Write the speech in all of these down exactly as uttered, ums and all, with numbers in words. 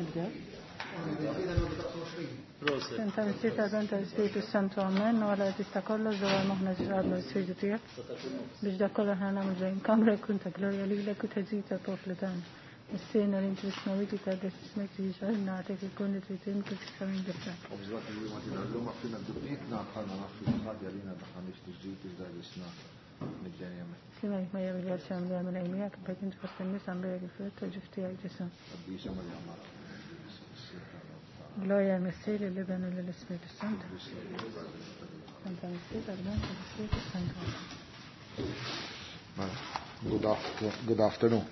Nibdew. Senta Missier Bin tal-Ispiritu Santu Amen, u għala tista' kollox dwar moħħna ġradna l-Ispiritu tiegħek biex dak kollha ħana nagħmlu ġejjin kamra jkun ta' glorja lilek u taġid tal-poplu tagħna. Missierna li inti fis-smewwiet jitqaddes ismek jiġi nagħtek ikun li trid int kif fis-sema ġewwa. Slim Marija bil-grazzja mimlija Mulej miegħek, imbierka inti fost in-nisa mbierek il-frott tal-ġuf tiegħek Ġesù. Gloria al-Missier, lill-Iben u lill-Ispiritu Santu. Santa Missier, tal-Iben tal-Ispiritu Santu. Good, after, good afternoon.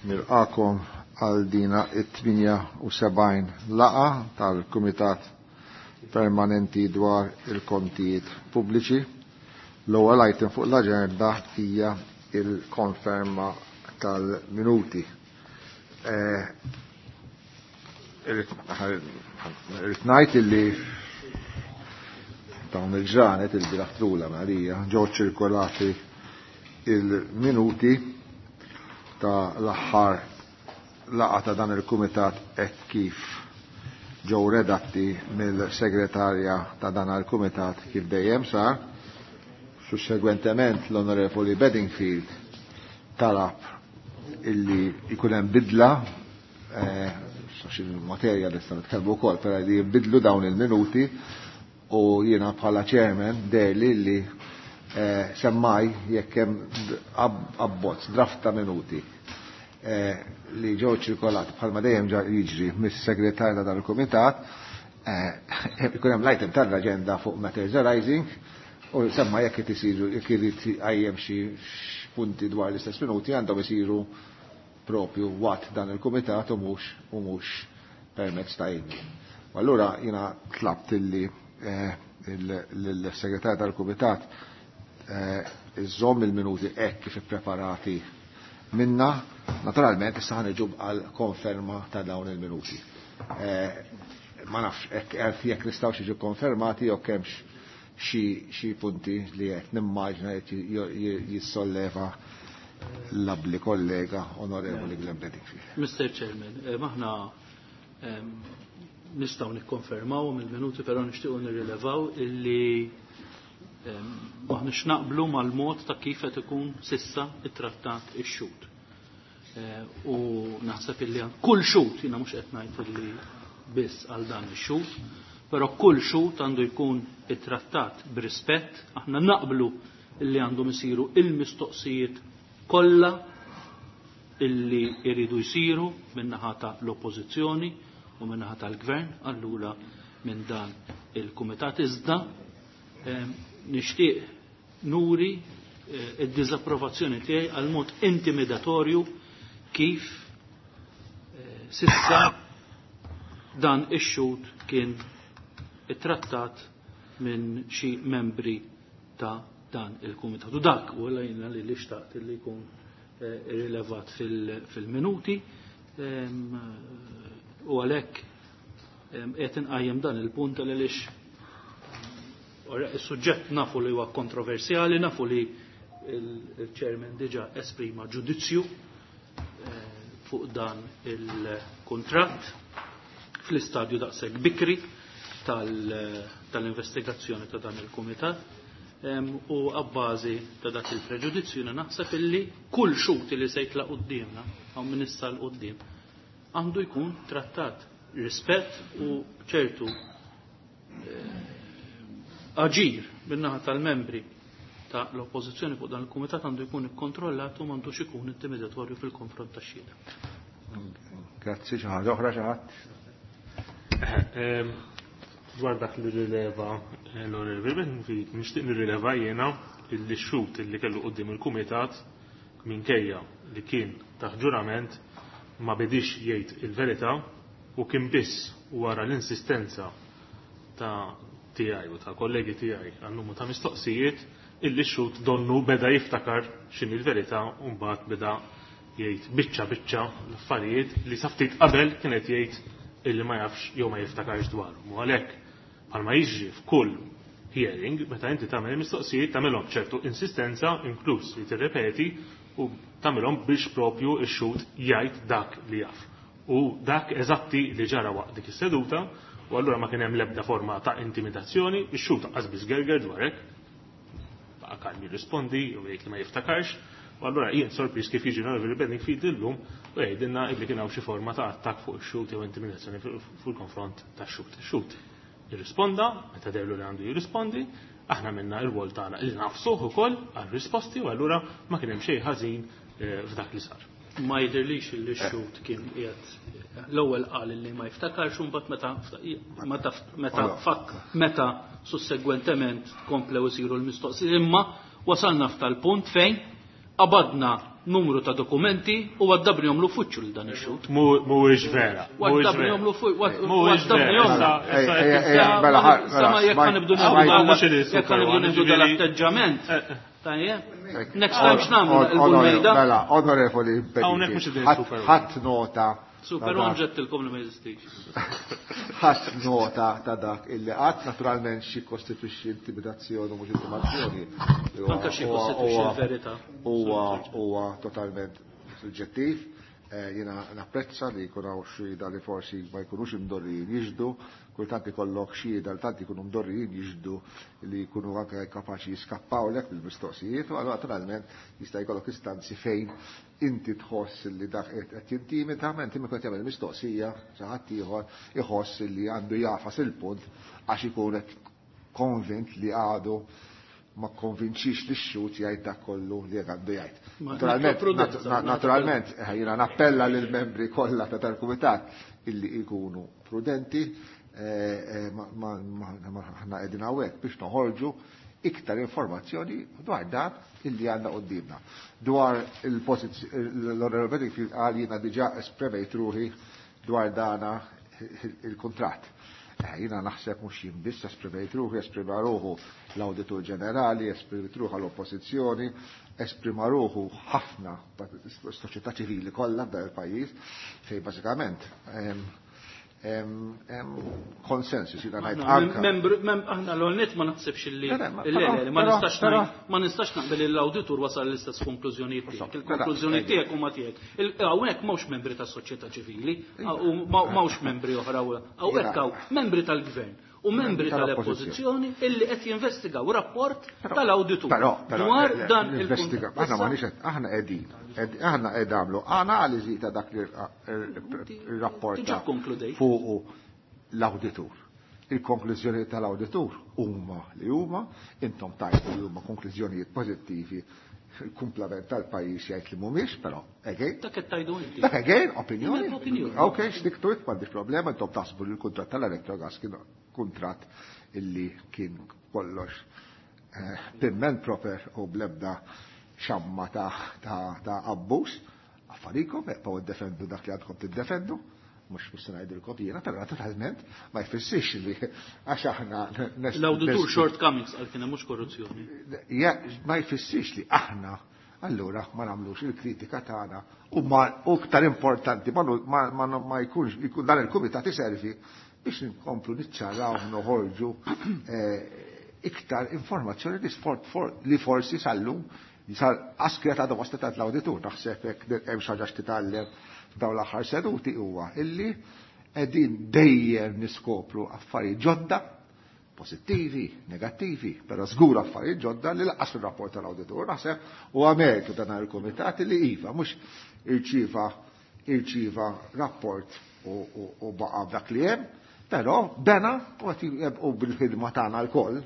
Nilqakom għal dina it-tmienja u sebgħin laqgħa tal-Kumitat Permanenti dwar il-kontijiet pubbliċi. L-ewwel item fuq l-aġenda hija il-konferma tal-minuti. Irrid ngħid illi dawn il-ġranet il-bieraħ trula Marija ġew ċirkolati il-minuti ta' l-aħħar laqgħa ta' dan il-kumitat hekk kif ġew redatti mill-segretarja ta' dan il-kumitat kif dejjem sar. Sussegwentement l-Onorevoli Bedingfield talab illi jkun hemm bidla, eh, il-materja li nistgħu nitkellmu wkoll, però li jinbidlu dawn il-minuti u jiena bħala chairman deherli li eh, semmaj jekk hemm abbozz draft ta' minuti eh, li ġew ċirkolati bħalma dejjem jiġri mis-segretarja tal-kumitat, ikun hemm l-item tal-aġenda fuq matters arising u semma jekk qed isiru jekk irid qajjem xi punti dwar l-istess minuti għandhom isiru propju waqt dan il-kumitat u mhux u mhux permezz ta' email. U allura jiena tlabt illi l-segretarju tal-kumitat iżomm il-minuti hekk kif ippreparati minna, naturalment issa ħa niġu għal konferma ta' dawn il-minuti. Ma nafx hekk jekk nistgħux jiġu konfermati jew kemmx xi punti li qed nimmaġna qed jissolleva l-abli kollega Onorevoli Glenn Bedingfield. Mister Chairman, maħna nistgħu nikkonfermaw mill-minuti, però nixtiequ nirrilevaw illi maħniex naqblu mal-mod ta' kif qed ikun sissa ittrattat ix-xhud. U naħseb illi kull xhud, jiena mhux qed ngħid illi biss għal dan ix-xhud, però kull xhud għandu jkun ittrattat b'rispett, aħna naqblu illi għandhom isiru il-mistoqsijiet kollha illi jridu jsiru min-naħa ta' l-oppożizzjoni u min-naħa tal-gvern, allura minn dan il-kumitat. Iżda nixtieq nuri id-diżapprovazzjoni tiegħi għal mod intimidatorju kif sissa dan ix-xhud kien ittrattat minn xi membri ta' dan il-kumitat. U dak u għalajna li li xtaqt li jkun rilevat fil-minuti u għalhekk qed inqajjem dan il-punt għaliex is-suġġett nafu li huwa kontroversjali, nafu li il-chairman diġà esprima ġudizzju fuq dan il-kuntratt fl-istadju daqshekk bikri tal-investigazzjoni ta' dan il-kumitat u għabbażi ta' dak il-preġudizzju jiena naħseb illi kull xhud li se jitlaq quddiemna hawn minn issa l quddiem għandu jkun trattat rispett u ċertu aġir min-naħa tal-membri ta' l-oppożizzjoni fuq dan il-kumitat għandu jkun ikkontrollat u m'għandux ikun intimidatorju fil-konfront tax-xhieda. Grazzi, xi ħaġa oħra xi ħadd? Dwar dak li rileva l-Onorevoli Bedingfield, nixtieq nirrileva jiena illi x-xhud illi kellu quddiem il-kumitat minkejja li kien taħt ġurament ma bedix jgħid il-verità u kien biss wara l-insistenza ta' tiegħi u ta' kollegi tiegħi għal numru ta' mistoqsijiet illi x-xhud donnu beda jiftakar x'inhi l-verità u mbagħad beda jgħid biċċa biċċa l-affarijiet li sa ftit qabel kien qed jgħid illi ma jafx jew ma jiftakarx dwarhom. U għalhekk bħalma jiġri f'kull hearing, meta inti tagħmel mistoqsijiet tagħmelhom ċertu insistenza, inkluż li tirrepeti u tagħmelhom biex propju x-xhud jgħid dak li jaf. U dak eżatti li ġara waqt dik is-seduta, u allura ma kien hemm l-ebda forma ta' intimidazzjoni, ix-xhud qas biss gerger dwar hekk, baqa' kalm jirrispondi u jgħid li ma jiftakarx, u allura jien sorpriż kif jiġi Onorevoli Bedingfield illum u jgħidilna illi kien hawn xi forma ta' attakk fuq ix-xhud jew intimidazzjoni fuq il-konfront tax-xhud. Ix-xhud jirrisponda, meta dellu li għandu jirrispondi, aħna minna il-wol tagħna li nafsuh ukoll għar-risposti u allura ma kien hemm xejn ħażin f'dak li sar. Ma jidhirlix li x-xhud kien qiegħed l-ewwel qal li ma jiftakarx u mbagħad meta meta meta fakk meta sussegwentement komplew isiru l-mistoqsijiet, imma wasalna f'tal-punt fejn qabadna numru ta' dokumenti u għaddabnihom l-uffiċċju lil dan ix-xhud. Mhuwiex vera. Għaddabnihom l-uffiċċju. Jekk ħanibdu jekk ħanibdu nieħdu dal-atteġġament. Tajjeb. Next time x'nagħmlu il-mejda? Mela, onorevoli ħadd nota. Super One ġettilkom li ma jeżistix. Ħadd nota ta' dak illi qatt naturalment xi kostitwixxi intimidazzjoni u mhux intimidazzjoni. Anke xi kostitwixxi l-verità. Huwa huwa totalment suġġettiv. Jiena napprezza li jkun hawn xhieda li forsi ma jkunux imdorrijin jiġdu, kultant ikollok xhieda li tant ikunu mdorrijin jiġdu li jkunu anke kapaċi jiskappawlek bil-mistoqsijiet, u naturalment jista' jkollok istanzi fejn inti tħoss li dak qed jintimida, ma inti meta jagħmel mistoqsija xi ħadd ieħor iħoss li għandu jafas il-punt għax ikun qed konvint li għadu ma konvinċix li x-xhud jgħid dak kollu li għandu jgħid. Naturalment, jiena nappella lill membri kollha ta' tal-kumitat illi jkunu prudenti, aħna qegħdin hawnhekk biex noħorġu iktar informazzjoni dwar dan illi għandna quddiemna. Dwar il-Onorevoli Bedingfield qal jiena diġà espremejt ruħi dwar dana il-kuntratt. Jiena naħseb mhux jien biss esprimejt ruħi, esprima ruħu l-Awditur Ġenerali, esprimejt ruħu l-Oppożizzjoni, esprima ruħu ħafna soċjetà ċivili kollha f'dan il-pajjiż, fejn bażikament konsensus jiena ngħid anke. Aħna l-għolnet ma naħsibx illi ma nistax ma nistax naqbel l-awditur wasal l-istess konklużjonijiet tiegħek. Il-konklużjoni tiegħek huma tiegħek. Hawnhekk m'hawnx membri tas-soċjetà ċivili, u m'hawnx membri oħra hawnhekk hawn membri tal-gvern u membri tal-oppożizzjoni illi qed jinvestigaw rapport tal-awditur dwar dan il-investigaw. Aħna m'għandix aħna qegħdin aħna qed nagħmlu analiżi ta' dak ir-rapport fuq l-awditur. Il-konklużjoni tal-awditur huma li huma, intom tajtu li huma konklużjonijiet pożittivi, il-kumplament tal-pajjiż jgħid li mhumiex, però again. Dak qed tajdu inti. Dak again, opinjoni. Ok, x'diktu m'għandix problema, intom taħsbu li l-kuntratt tal-Electrogas kien kuntratt illi kien kollox pimment proper u blebda xamma ta' abbuż. Affarikom, eqgħu ddefendu dak li għandkom tiddefendu, mhux mhux se ngħidilkom jiena, però naturalment ma jfissirx li għax aħna l-awditur shortcomings għal kien hemm mhux korruzzjoni. Ma jfissirx li aħna allura ma nagħmlux il-kritika tagħna u iktar importanti ma jkunx dan il-kumitat iservi biex nkomplu niċċaraw noħorġu iktar informazzjoni li forsi sal-lum sal askja ta' domosta ta' l-awditur. Naħseb hekk hemm xi ħaġa x'titgħallem f'dawn l-aħħar seduti huwa illi qegħdin dejjem niskopru affarijiet ġodda, pożittivi, negattivi, però żgur affarijiet ġodda li laqas fir-rapport tal-awditur. Naħseb huwa mertu dan il-kumitat li iva mhux irċieva irċieva rapport u baqa' dak li hemm, però bena u bil-ħidma tagħna lkoll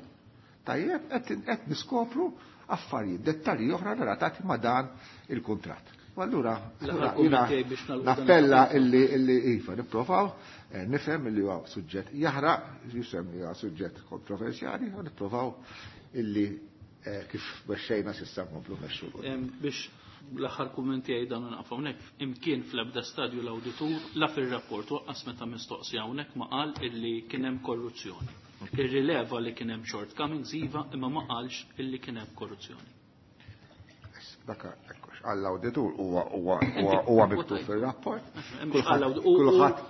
tajjeb qed niskopru affarijiet, dettalji oħra relatati ma' dan il-kuntratt. U allura nappella illi illi iva nipprovaw nifhem illi huwa suġġett jaħraq, jisem li huwa suġġett kontroversjali, u nipprovaw illi kif mexxejna s'issa nkomplu mexxu. Biex l-aħħar kumment tiegħi dan naqaf hawnhekk, imkien fl-ebda stadju l-awditur la fir-rapport waqqas meta mistoqsi hawnhekk ma qal illi kien hemm korruzzjoni. Irrileva li kien hemm shortcomings iva, imma ma qalx illi kien hemm korruzzjoni. Dak għall-awditur huwa huwa huwa miktub fir-rapport.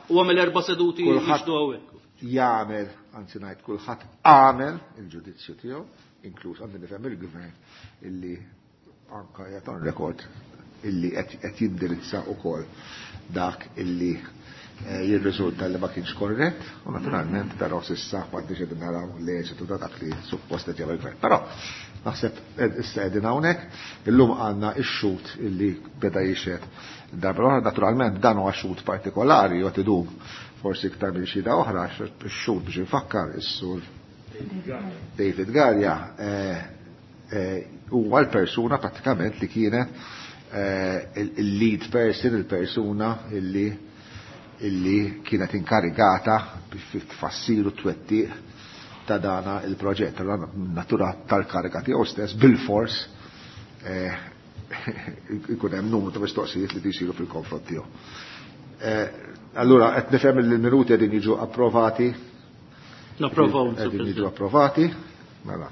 Huwa mill-erba' seduti jixdu hawnhekk. jagħmel, anzi ngħid kulħadd għamel il-ġudizzju tiegħu, inkluż għandi nifhem il-gvern illi anka qiegħed on record illi qed jindirizza wkoll dak illi jirriżulta li ma kienx korrett, u naturalment però s'issa m'għandniex qegħdin naraw l-eżitu ta' dak li suppost qed jagħmel gvern. Però naħseb issa qegħdin hawnhekk, illum għandna x-xhud illi beda jixhed darba oħra, naturalment dan huwa xhud partikolari u qed idum forsi iktar minn xhieda oħra, ix-xhud biex infakkar is-sur David Galea huwa l-persuna pratikament li kienet il-lead person, il-persuna illi illi kienet inkarigata biex tfassir u twettiq ta' dana il-proġett. Allora natura tal-kariga tiegħu stess bil-fors ikun hemm numru ta' mistoqsijiet li jsiru fil-konfront tiegħu. Allura qed nifhem li l-minuti qegħdin jiġu approvati. Napprovaw. Qegħdin jiġu approvati. Mela.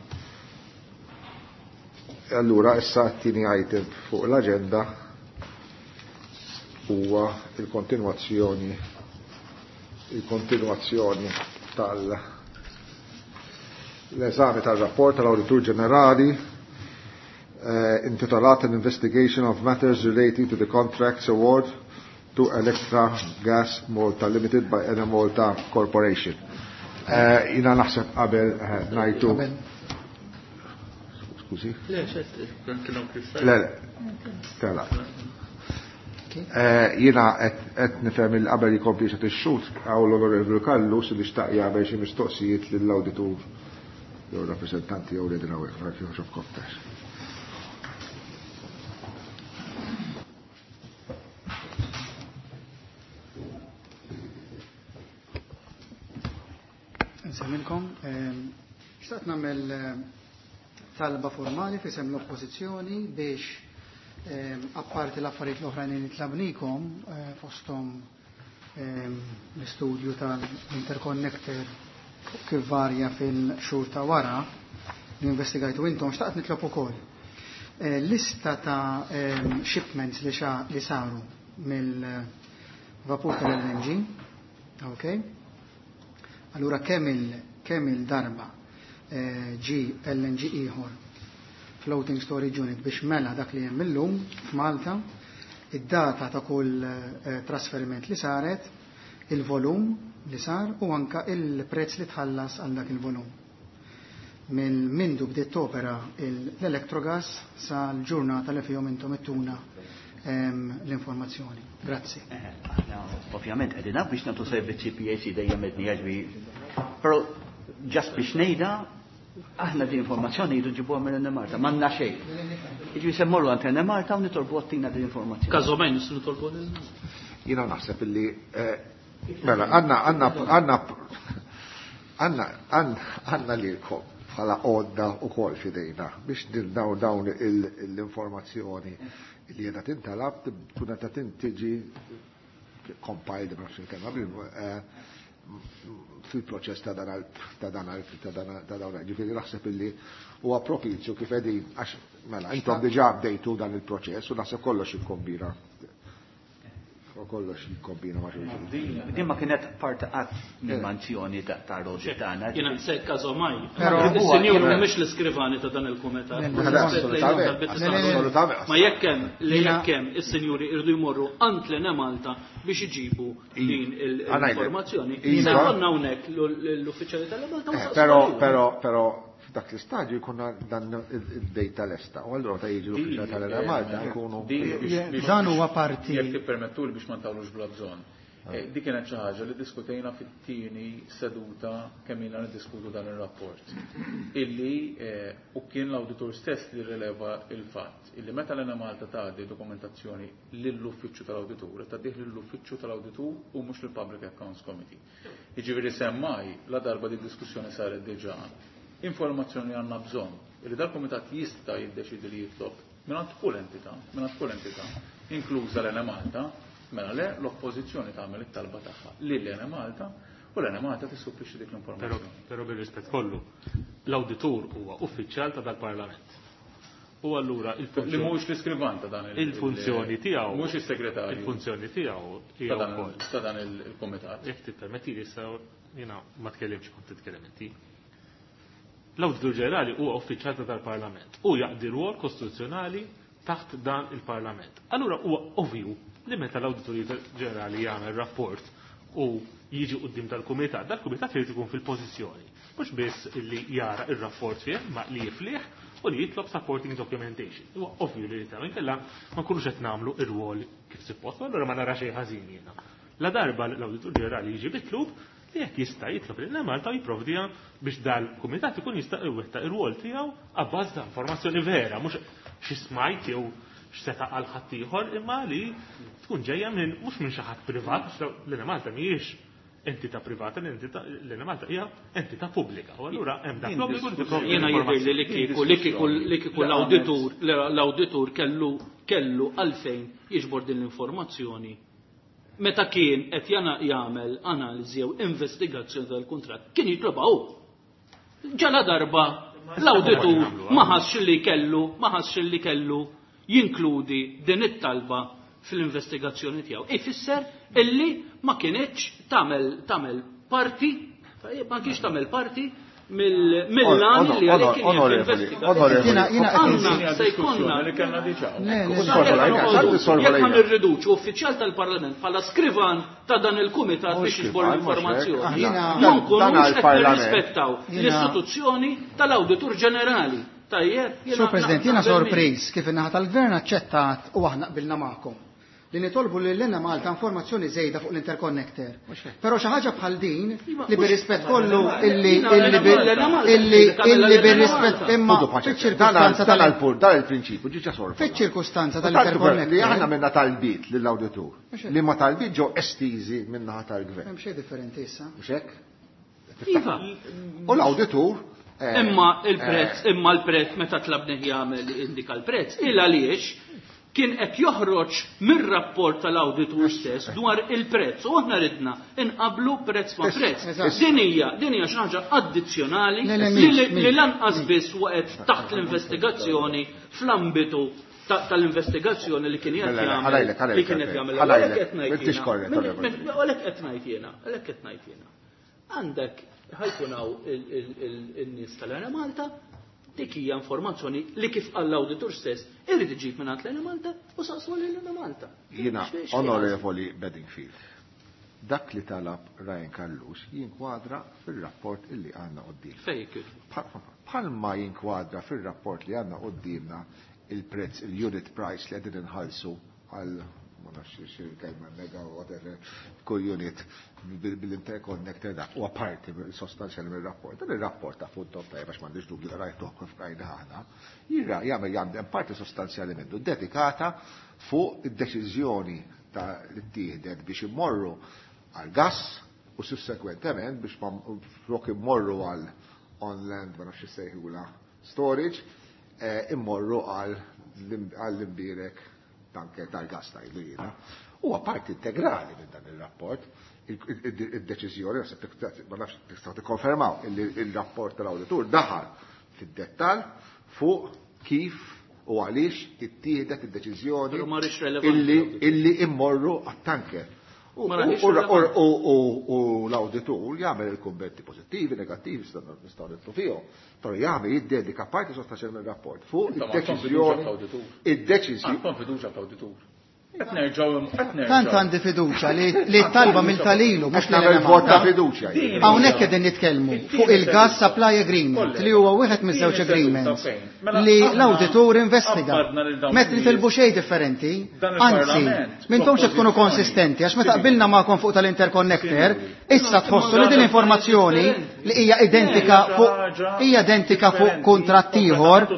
Allura issa t-tieni item fuq l-aġenda huwa il-kontinwazzjoni il-kontinwazzjoni tal l-eżami tal-rapport tal-Awditur Ġenerali eh, intitolat An Investigation of Matters Relating to the Contracts Award to Electra Gas Malta Limited by Enemalta Corporation. Eh, jina naħseb qabel eh, najtu. Skużi? Le, Le, le. Tela. Jina qed nifhem il qabel jkompli xed ix-xhud hawn l-Onorevoli Callus li xtaq jagħmel xi mistoqsijiet lill-awditur jew rappreżentanti jew li hawnhekk ma nafx koptax. Nsemmilkom, xtaqt nagħmel talba formali f'isem l-Oppożizzjoni biex apparti l-affarijiet l-oħrajn li tlabnikom fosthom l-istudju tal-interconnector kif varja fil-xhur ta' wara li investigajtu intom, xtaqt nitlob ukoll lista ta' shipments li li saru mill-vapur tal-L N G, ok? Allura kemm il kemm il-darba ġi L N G ieħor floating storage unit biex mela dak li hemm illum f'Malta, id-data ta' kull trasferiment li saret, il-volum li sar u anka il-prezz li tħallas għal dak il-volum. Minn mindu bdiet topera l-Electrogas sa l-ġurnata li fihom intom ittuna l-informazzjoni. Grazzi. Aħna ovvjament qegħdin biex nagħtu servizzi P A C dejjem qed jaġbi. Però ġast biex ngħidha aħna din informazzjoni jridu nġibuha minn Enemalta, m'għandna xejn. Jiġifieri se mmorru għand Enemalta u nitolbu għattina din informazzjoni. Każomejn nistgħu nitolbu lil. Jiena naħseb illi mela għandna għandna għandna għandna għandna lilkom bħala għodda wkoll f'idejna biex dawn dawn l-informazzjoni li qiegħda tintalab tkun qed tiġi compiled ma nafx il-kelma fil-proċess ta' dan ta' dan ta' dan ta' dawn. Ġifieri naħseb illi huwa propizju kif qegħdin għax mela intom diġà bdejtu dan il-proċess u naħseb kollox jikkombina. Kollox jikkombina ma' xulxin. Din ma kienet parti qatt mill-manzjoni ta' Rodi tagħna. Jiena se każomaj. Is-sinjur mhumiex l-iskrivani ta' dan il-kumitat. Ma jekk hemm li jekk hemm is-sinjuri irdu jmorru għand l-Enemalta biex iġibu din l-informazzjoni. Se jkollna hawnhekk l-uffiċjali tal-Enemalta. Però però però f'dak l-istadju jkunna dan id-dejta lesta. U allura ta' jiġi l-uffiċjali tal-Enemalta jkunu. Dan huwa parti. Jekk tippermettuli biex ma ntawlux bla bżonn. Dik kienet xi ħaġa li diskutejna fit-tieni seduta kemm ilna niddiskutu dan ir-rapport. Illi u kien l-awditur stess li rileva il-fatt illi meta l-Enemalta tgħaddi dokumentazzjoni lill-uffiċċju tal-awditur, tgħaddih lill-uffiċċju tal-awditur u mhux lill-Public Accounts Committee. Jiġifieri semmai la darba di diskussjoni saret diġà informazzjoni għandna bżonn illi dal-kumitat jista' jiddeċidi li jitlob mingħand kull entità, mingħand kull entità, inkluża l-Enemalta, mela le l-oppożizzjoni tagħmel it-talba tagħha lil Enemalta u l-Enemalta tissupplixxi dik l-informazzjoni. Però bir-rispett kollu, l-awditur huwa uffiċjal ta' dal-Parlament. U allura il-funzjoni li mhuwiex l-iskrivan ta' dan il-funzjoni tiegħu, mhuwiex is-segretarju. Il-funzjoni tiegħu hija wkoll ta' dan il-kumitat. Jekk tippermettili issa Jiena ma tkellimx kont titkellem inti. L-Awditur Ġenerali huwa uffiċjal tal-Parlament u jaqdi rwol kostituzzjonali taħt dan il-Parlament. Allura huwa ovvju li meta l-Awditur Ġenerali jagħmel rapport u jiġi quddiem tal-kumitat, dal-kumitat irid ikun fil-pożizzjoni. Mhux biss li jara ir-rapport fih, ma li jiflih u li jitlob supporting documentation. Huwa ovvju li jitgħu inkella ma nkunux qed nagħmlu ir-rwol kif suppost, allura ma nara xejn ħażin jiena. La darba l-Awditur Ġenerali jiġi mitlub li jekk jista' jitlob lil Malta jipprovdiha biex dal-kumitat ikun jista' iwettaq ir-rwol tiegħu abbażi ta' informazzjoni vera, mhux xi smajt jew x'seta' għal ħaddieħor, imma li tkun ġejja minn mhux minn xi ħadd privat, għax l Malta mhijiex entità privata, l-entità l Malta hija entità pubblika. U allura hemm dak l-obbligu li tipprovdi Jiena jidher li kieku li kieku li kieku l-awditur l-awditur kellu kellu għalfejn jiġbor din l-informazzjoni meta kien qed jana jagħmel analiżi jew investigazzjoni tal-kuntratt kien jitlobha hu. Ġala darba l-awditur ma ħassx li kellu ma ħassx li kellu jinkludi din it-talba fl-investigazzjoni tiegħu. Ifisser illi ma kienx tagħmel tagħmel parti ma kienx tagħmel parti mill-lan li għalih kien jinvestiga. Għandna se jkollna li kellna diġà. Jekk ma nirriduċu uffiċjal tal-Parlament bħala skrivan ta' dan il-kumitat biex jiġbor l-informazzjoni, ma nkunux qed nirrispettaw l-istituzzjoni tal-Awditur Ġenerali. Tajjeb, Sur President, jiena sorpriż kif in-naħa tal-Gvern aċċettat u aħna qbilna magħkom li nitolbu lil Enemalta informazzjoni żejda fuq l-interconnector. Però xi ħaġa bħal din li bir-rispett kollu illi illi illi bir-rispett imma fiċ-ċirkustanza tal dan il-prinċipju ġiġa sorfa. Fiċ-ċirkustanza tal-interconnector. Li aħna minna talbiet lill-awditur. Li ma talbiet ġew estiżi min-naħa tal-gvern. Hemm xejn differenti issa. Mhux hekk? Iva. U l-awditur Imma il-prezz, imma l-prezz meta tlabnih jagħmel indika l-prezz, il għaliex kien qed joħroġ mir-rapport tal-awditur stess dwar il-prezz u aħna ridna inqablu prezz ma' prezz. Din hija din hija xi ħaġa addizzjonali li lanqas biss waqgħet taħt l-investigazzjoni fl-ambitu tal-investigazzjoni li kien qed jagħmel li kien qed jagħmel. Għalhekk qed ngħid jiena, għalhekk qed ngħid jiena. Għandek ħajkun hawn in-nies tal-Enemalta, dik hija informazzjoni li kif qal l-awditur stess irid iġib minn l-Enemalta u saqsu lil Enemalta. Jiena Onorevoli Bedingfield, dak li talab Ryan Callus jinkwadra fil-rapport illi għandna quddiem. Fejn Bħalma jinkwadra fil-rapport li għandna quddiemna il-prezz, il-unit price li qegħdin inħallsu għal ma nafx xi kelma mega whatever kull unit bil-interconnector dak huwa parti sostanzjali mir-rapport. Dan ir-rapport ta' fuq tajjeb għax m'għandix dubju rajtuh kif rajna aħna, jira jagħmel jagħmel parti sostanzjali minnu dedikata fuq id-deċiżjoni ta' li ttieħdet biex immorru għal gas u sussekwentement biex flok immorru għal on-land ma nafx sejħula storage immorru għall-imbirek tanker tal-gas tajdu jiena. Huwa parti integrali minn dan il-rapport. Il-deċiżjoni, ma nafx tistgħu tikkonfermaw, il-rapport tal-awditur daħal fid-dettall fuq kif u għaliex ittieħdet id-deċiżjoni illi immorru għat-tanker. U l-awditur jagħmel il-kummenti pożittivi, negattivi, nistgħu nidħlu fihom, però jagħmel jiddedika parti sostanzjali mir-rapport fuq id-deċiżjoni. Id-deċiżjoni. Għandkom fiduċja fl-awditur. Qed nerġgħu qed nerġgħu. Tant għandi fiduċja li t-talba mill-talilu mhux nagħmel vot ta' fiduċja. Hawnhekk qegħdin nitkellmu fuq il-gas supply agreement li huwa wieħed miż-żewġ agreements li l-awditur investiga. Meta nitilbu xejn differenti, anzi, m'intomx qed tkunu konsistenti għax meta qbilna magħkom fuq tal-interconnector, issa tħossu li din informazzjoni li hija identika fuq hija identika fuq kuntratt ieħor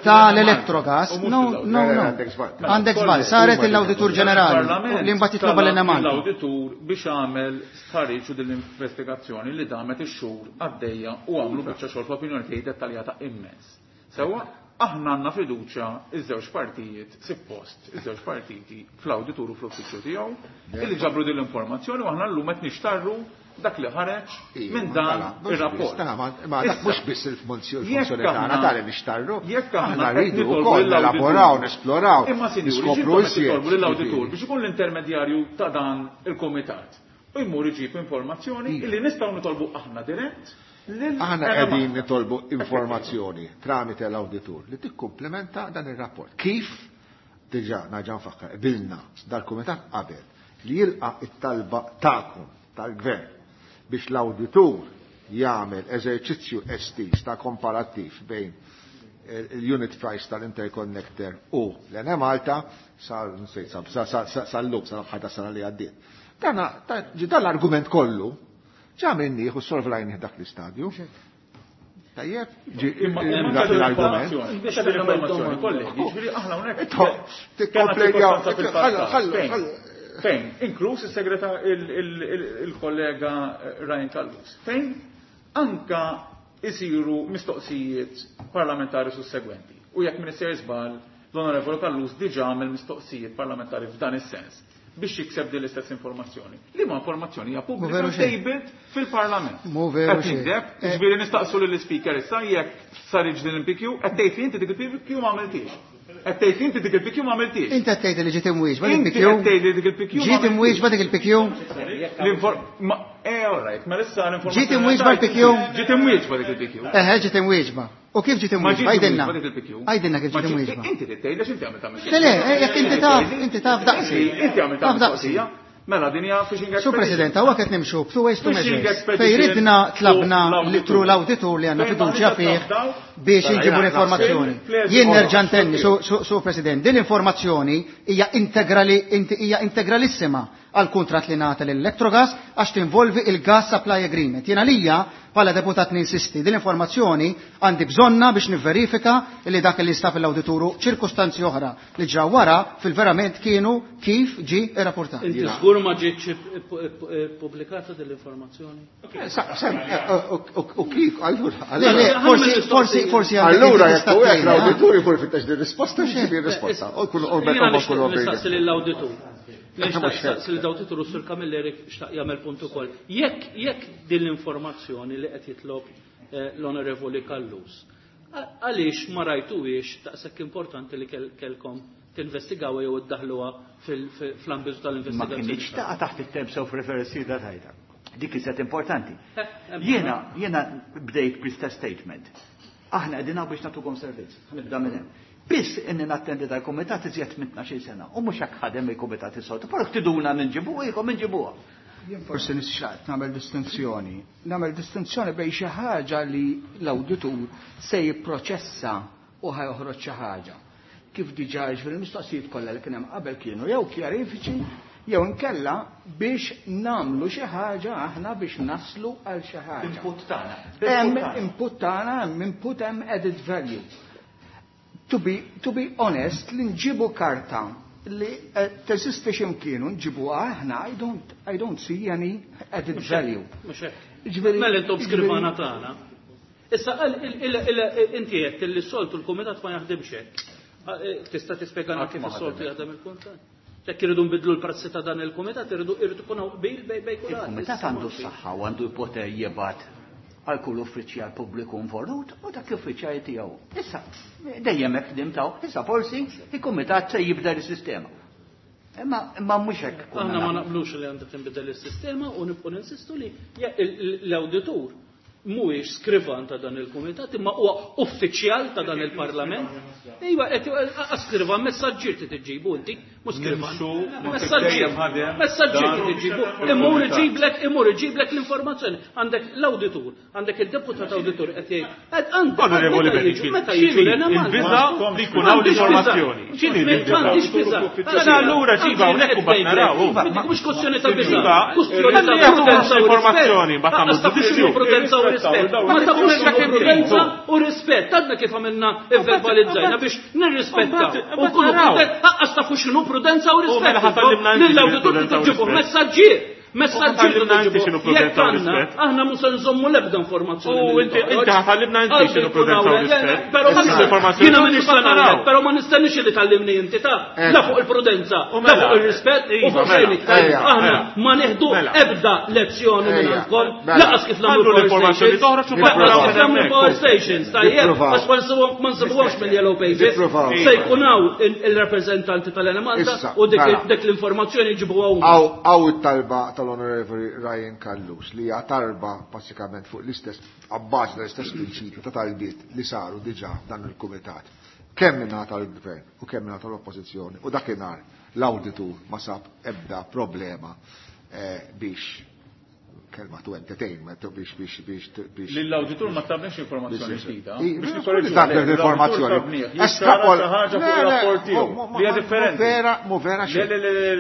tal-Electrogas. No, no, no. Għandek żball, saret l-awditur ġenerali li mbagħad jitloba lil Malta. L-awditur biex għamel stħarriġ u din l-investigazzjoni li damet ix-xhur għaddejja u għamlu biċċa xogħol fl-opinjoni tiegħi dettaljata immens. Sewwa aħna għandna fiduċja iż-żewġ partijiet suppost, iż-żewġ partiti fl-awditur u fl-uffiċċju tiegħu illi ġabru din l-informazzjoni u aħna llum qed nixtarru dak li ħareġ minn dan ir-rapport. Ma dak mhux biss il-funzjoni tagħna tali nixtarru. Jekk aħna rridu wkoll nelaboraw, nesploraw, Imma sinjuri, niskopru iżjed. Nitolbu lill-awditur biex ikun l-intermedjarju ta' dan il-kumitat. U jmur iġib informazzjoni illi nistgħu nitolbu aħna dirett. Aħna qegħdin nitolbu informazzjoni tramite l-awditur li tikkumplementa dan ir-rapport. Kif diġà naġa nfakkar qbilna dal-kumitat qabel li jilqa' it-talba tagħkom tal-gvern biex l-awditur jagħmel eżerċizzju estiż ta' komparattiv bejn il-unit price tal-interconnector u l-Enemalta sal-lum sal-aħħar tas-sena li għaddiet. Dan l-argument kollu ġa minnieh u solvlajnih dak l-istadju. Tajjeb, l-argument. Biex l-informazzjoni, kollegi, ġifieri aħna hawnhekk. Fejn, inkluż is-segretar il-kollega Ryan Callus. Fejn anka isiru mistoqsijiet parlamentari sussegwenti. U jekk Minister żball, l-Onorevoli Callus diġà għamel mistoqsijiet parlamentari f'dan is-sens biex jikseb din l-istess informazzjoni. Liema informazzjoni hija pubblika tabled fil-Parlament. Qed nigdeb, ġifieri nistaqsu lill-Speaker issa jekk saritx din il-P Q, qed tgħid li inti dik il-P Q ma għamiltix. Qed tgħid li inti dik il-P Q ma għamiltix. Inti qed tgħid li ġiet imwieġba dik il-P Q. Inti qed tgħid li dik il-P Q. Ġiet imwieġba dik il-P Q. Eh, all right, ma issa l-informazzjoni. Ġiet imwieġba l-P Q. Ġiet imwieġba dik il-P Q. Eħe, ġiet imwieġba. U kif ġiet imwieġba? Għidilna. Għidilna kif ġiet imwieġba. Inti tgħid għax inti għamiltha mistoqsija. Le, le, jekk inti taf, inti taf daqsi. Inti għamiltha mistoqsija. Mela din hija fishing expedition. Sur President, hawn qed nimxu b'two ways to measures. Fejn ridna tlabna tru l-awditur li għandna fiduċja fih biex inġibu l-informazzjoni. Jien nerġa' ntenni, Sur President, din l-informazzjoni hija integrali hija integralissima għal kuntratt li ngħata lill-Electrogas għax tinvolvi il-Gas Supply Agreement. Jien għalija bħala deputat ninsisti din l-informazzjoni għandi bżonna biex nivverifika li dak li nstab l-awdituru ċirkustanzi oħra li ġraw wara fil-verament kienu kif ġi irrapportat. Inti żgur ma ġietx pubblikata din l-informazzjoni? U kif? Allura, forsi forsi allura jekk l-awditur jkun fittex din risposta x'ġibi risposta. U kull Nistaqsi lill-awditur. Nistaqsi lill-awditur u Sur Camilleri xtaq jagħmel punt ukoll. Jekk jekk din l-informazzjoni li qed jitlob l-Onorevoli Callus, għaliex ma rajtuhiex daqshekk importanti li kellkom tinvestigaw jew iddaħluha fl-ambitu tal-investigazzjoni? Ma kienx taqa' taħt it-terms of reference da tajta. Dik iżjed importanti. Jiena jiena bdejt bl-istess statement. Aħna qegħdin hawn biex nagħtukom servizz. Nibda minn hemm. Biss inni nattendi dal-kumitat iżjed minn tnax-il sena u mhux hekk ħadem il-kumitat is-soltu, però ktiduna ninġibuha ikom inġibuha. Jien forsi nixtaqt nagħmel distinzjoni. Nagħmel distinzjoni bejn xi ħaġa li l-awditur se jipproċessa u ħajoħroġ xi ħaġa. Kif diġà fil-mistoqsijiet kollha li kien hemm qabel kienu jew kjarifiċi jew inkella biex nagħmlu xi ħaġa aħna biex naslu għal xi ħaġa. Input tagħna. Hemm input tagħna, hemm input hemm added value. To be, to be honest, li nġibu karta li teżisti x'imkienu nġibuha aħna, I don't, I don't see any added value. Mhux hekk. Mela intom skrivana tagħna. Issa inti qed li s-soltu l-kumitat ma jaħdimx hekk. Tista' tispjegana kif is-soltu jaħdem il-kumitat? Jekk iridu nbidlu l-prassi ta' dan il-kumitat, iridu iridu ikun hawn qbil bej bej kulħadd. Il-kumitat għandu s-saħħa u għandu l-poter jibgħat għal kull uffiċjal pubbliku involut u dak l-uffiċjal tiegħu. Issa dejjem hekk ħdimtaw, issa forsi il-kumitat se jibdel is-sistema. Imma imma mhux hekk. Aħna ma naqblux li għandha tinbidel is-sistema u nibqgħu ninsistu li l-awditur mhuwiex skrivan ta' dan il-kumitat imma huwa uffiċjal ta' dan il-Parlament. Iva, qed skrivan messaġġier ti tiġġibu inti, mhux skrivan. Messaġġier, messaġġier ti tiġġibu, imur iġiblek, imur iġiblek l-informazzjoni. Għandek l-awditur, għandek il-deputat awditur qed jgħid, qed għandek Onorevoli Bennifield, meta jiġu il-biża' li jkun hawn l-informazzjoni. X'inhi l-biża'? Mela allura ġiba hawnhekk u mbagħad naraw. Mhux kwestjoni ta' biża', kwestjoni ta' prudenza u informazzjoni, mbagħad nagħmlu ġudizzju. Prudenza u rispett. Ma tafux prudenza u rispett. Għadna kif għamilna verbalizzajna biex nirrispetta. U nkunu aqqas tafu x'inhu prudenza u rispett. Lill-awditur tiġibu messaġġier. Messaġġier tiġibu. Jekk għandna, aħna mhux se nżommu l-ebda informazzjoni. U inti inti ħallimna inti x'inhu prudenza u rispett. Però jiena m'iniex se nagħmel, però ma nistenniex li tallimni inti ta' la fuq il-prudenza, la fuq ir-rispett u fuq xejn iktar. Aħna ma nieħdu ebda lezzjoni minn għandkom, laqas kif nagħmlu l-informazzjoni toħroġ u laqas kif nagħmlu power stations, tajjeb, għax ma nsibuhomx mill-yellow pages. Se jkun hawn il-rappreżentanti tal-Enemalta u dik l-informazzjoni jġibuha huma. Hawn it-talba tal-Onorevoli Ryan Callus li hija tarba basikament fuq l-istess abbażi tal-istess prinċipju ta' talbiet li saru diġà dan il-kumitat. Kemm mingħata tal-Gvern u kemm mingħata tal-Oppożizzjoni u dakinhar l-awditur ma sab ebda problema biex kelma tu entertainment biex biex biex biex. Lill-awditur ma tabniex informazzjoni ġdida. Biex nikkorreġu informazzjoni. Estrapola ħaġa fuq ir-rapport tiegħu. Li hija differenti. Vera, mu vera xejn.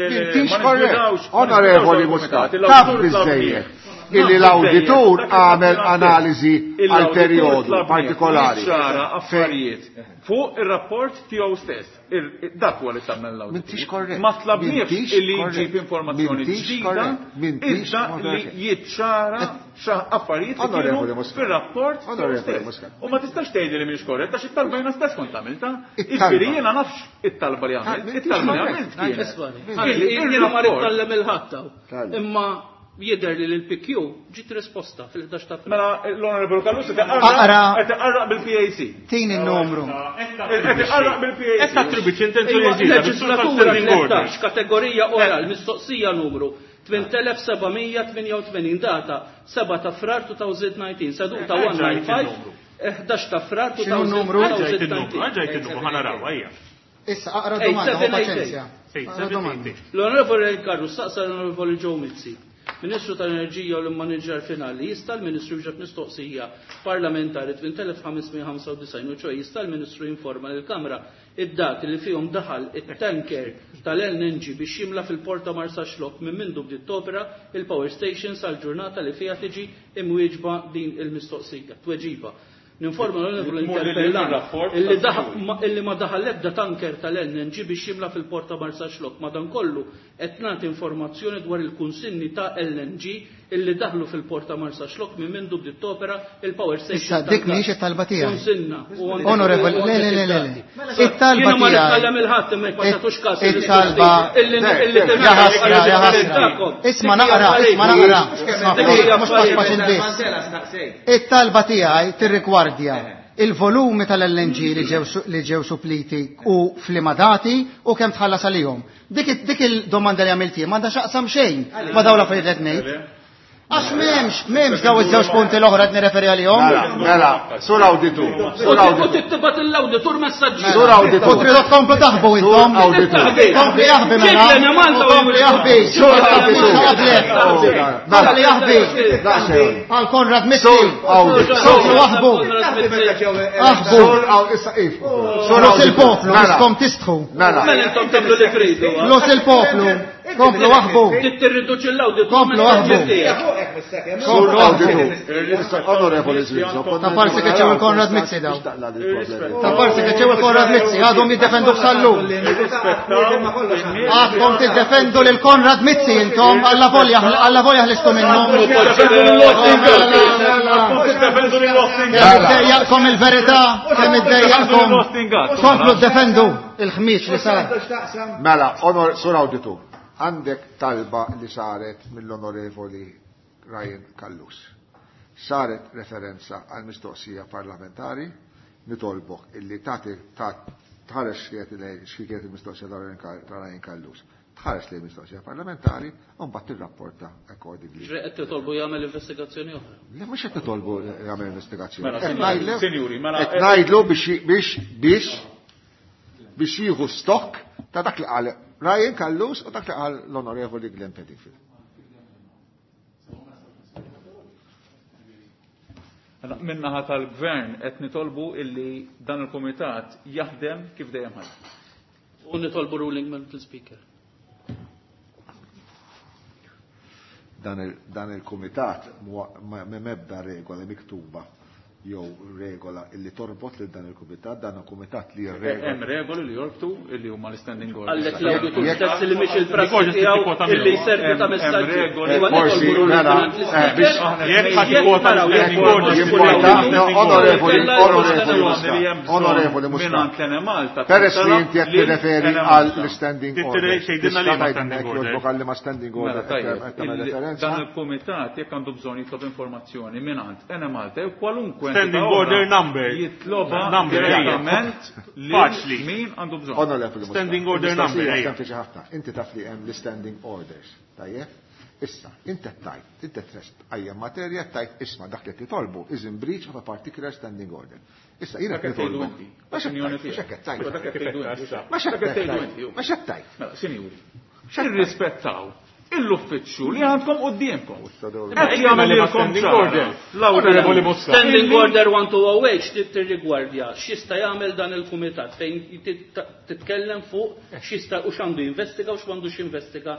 M'intix korrett. Onorevoli Muscat, taf biżejjed illi l-awditur għamel analiżi għal perjodu partikolari. Ċara affarijiet fuq ir-rapport tiegħu stess. Dak huwa li tagħmel l-awditur. M'intix korrett. Ma tlabniex illi jġib informazzjoni ġdida, iżda li jiċċara affarijiet li kienu fir-rapport tiegħu stess. U ma tistax tgħidli li mhix korrett għax it-talba jiena stess kont għamilta. Jiġifieri jiena nafx it-talba li għamilt, it-talba li għamilt kienet. Jiena ma rid il-ħadd imma jidher li l-P Q ġiet risposta fil-ħdax ta' Mela l-Honorable Callus qed iqarraq bil-P A C. Tini n-numru. Qed iqarraq bil-P A C. Qed tattribwixxi intenzjoni ġdida. Leġislatura tlettax kategorija oral mistoqsija numru tmien elef sebgħamija tmienja u tmenin data seba' ta' Frar two thousand nineteen seduta one nine five ħdax ta' Frar two thousand nineteen. Ġajt il-numru, ħa naraw, ejja. Issa aqra domanda, paċenzja. L-Onorevoli Callus saqsa l-Onorevoli Joe Mizzi, Ministru tal-Enerġija u l-Manager Finali, jista' l-Ministru jġab mistoqsija parlamentari tmien elef ħamesmija ħamsa u disgħin u ċoj jista' l-Ministru jinforma lill-Kamra id-dati li fihom daħal it-tanker tal-L N G biex jimla fil-Port ta' Marsaxlokk minn mindu bdiet topera il-power station sal-ġurnata li fiha tiġi imwieġba din il-mistoqsija. Tweġiba. Ninforma l-Onorevoli Interpellant illi illi ma daħal ebda tanker tal-L N G biex jimla fil-Port ta' Marsaxlokk. Madankollu qed nagħti informazzjoni dwar il-kunsinni ta' L N G illi daħlu fil-Port ta' Marsaxlokk minn mindu bdiet topera il-power station. Issa dik mhix it-talba tiegħi. Kunsinna. Onorevoli, le le le le. It-talba Jiena ma tiegħi. nitkellem il-ħadd imma ma tagħtux każ It-talba. illi Ja ħasra, ja ħasra. Isma' naqra, isma' naqra. Mhux pass biss. It-talba tiegħi tirrigwardja il-volumi tal-L N G li ġew li ġew suppliti u f'liema dati u kemm tħallas għalihom. Dik dik il-domanda li għamilt jien m'għandha x'aqsam xejn ma' dawn l-affarijiet qed ngħid. Għax m'hemmx, m'hemmx daw iż-żewġ punti l-oħra qed nirreferi għalihom. Mela, mela, sur awditur, sur awditur. U tittibat l-awditur messaġġi. Sur awditur. U tridu tkomplu taħbu intom. Awditur. Kompli jaħbi mela. Kompli jaħbi. Sur awditur. Kompli jaħbi. Għal Konrad Mizzi. Sur awditur. Komplu jaħbu. Aħbu. Sur aw- issa if. Sur Flus il-poplu, Mela. miskom tistħu. Mela. Mela intom tagħmlu li tridu. Flus il-poplu. Komplu aħbu. Tirriduċi l-awditur. Komplu aħbu. Sur awditur. Onorevoli Zrizzo. Ta' parsi che c'è il Konrad Mizzi daw. Ta' parsi che c'è il Konrad Mizzi, għadhom jiddefendu b'sallum. Għadhom tiddefendu lil Konrad Mizzi intom, alla volja alla volja ħlistu minnhom. Kemm iddejjaqkom il-verità, kemm iddejjaqkom. Komplu ddefendu il-ħmieġ li sar. Mela, onor, sur awditur, għandek talba li saret mill-onorevoli Ryan Callus. Saret referenza għal mistoqsija parlamentari, nitolbok illi tagħti tħares x'kienet il-mistoqsija ta' Ryan Callus. Tħares li mistoqsija parlamentari u mbagħad tirrapporta accordingly. Ġre qed titolbu jagħmel investigazzjoni oħra. Le mhux qed titolbu jagħmel investigazzjoni. Mela, Qed sinjuri, ngħidlu- sinjuri, mela, qed ngħidlu biex biex biex biex jieħu stock ta' dak li qal Ryan Callus u dak li qal l-Onorevoli Glenn Bedingfield. Mela, min-naħa tal-gvern qed nitolbu illi dan il-kumitat jaħdem kif dejjem ħadem. U nitolbu ruling mill-speaker. Dan il-, dan il-kumitat ma m'ebda regola miktuba jew regola illi torbot lil dan il-kumitat, dan il-kumitat li jirregola. Hemm regoli li jorbtu illi huma l-standing orders. Għallek l-awditur Jekk- stess li mhix il-prassi Jekk- tiegħu jekk- illi jservi ta' Hemm- hemm messaġġi. regoli. Huwa Forsi, nitolbu ruling mela, mill-speaker. eh, biex- Jekk ħadd ikkwota Jekk naraw, jekk l-standing orders, Jimporta, no, onorevoli, onorevoli Li Muscat, hemm bżonn onorevoli Muscat. mingħand l-Enemalta Peress li tintalab inti qed lil tirreferi Enemalta. għal l-standing Tittere order. xejdilna li ma Tista' standing tgħidlek order. jogħġbok għal li ma standing Mela, order qed tajjeb, qed tagħmel il- referenza. dan il-kumitat jekk għandu bżonn jitlob informazzjoni mingħand Enemalta jew kwalunkwe Standing entità oħra order number. Jitloba Number, ejja. direttament lil Faċli. min għandu bżonn. Onorevoli Muscat, Standing order il-mistoqsija number, ejja. sempliċi ħafna. Inti taf li hemm l-standing orders, tajjeb? Issa, inti tajt, inti trest għajja materja tajt isma' dak li titolbu is in breach of a particular standing order. Issa, jiena qed nitolbu. Ma x'hekk tajt. Ma x'hekk tajt. Ma x'hekk tajt. Mela, sinjuri, irrispettaw l-uffiċċju li għandkom quddiemkom. Qed jagħmel order. Standing order one two oh eight tirrigwardja x'jista' jagħmel dan il-kumitat fejn titkellem fuq x'jista' u x'għandu jinvestiga u x'għandu x'investiga.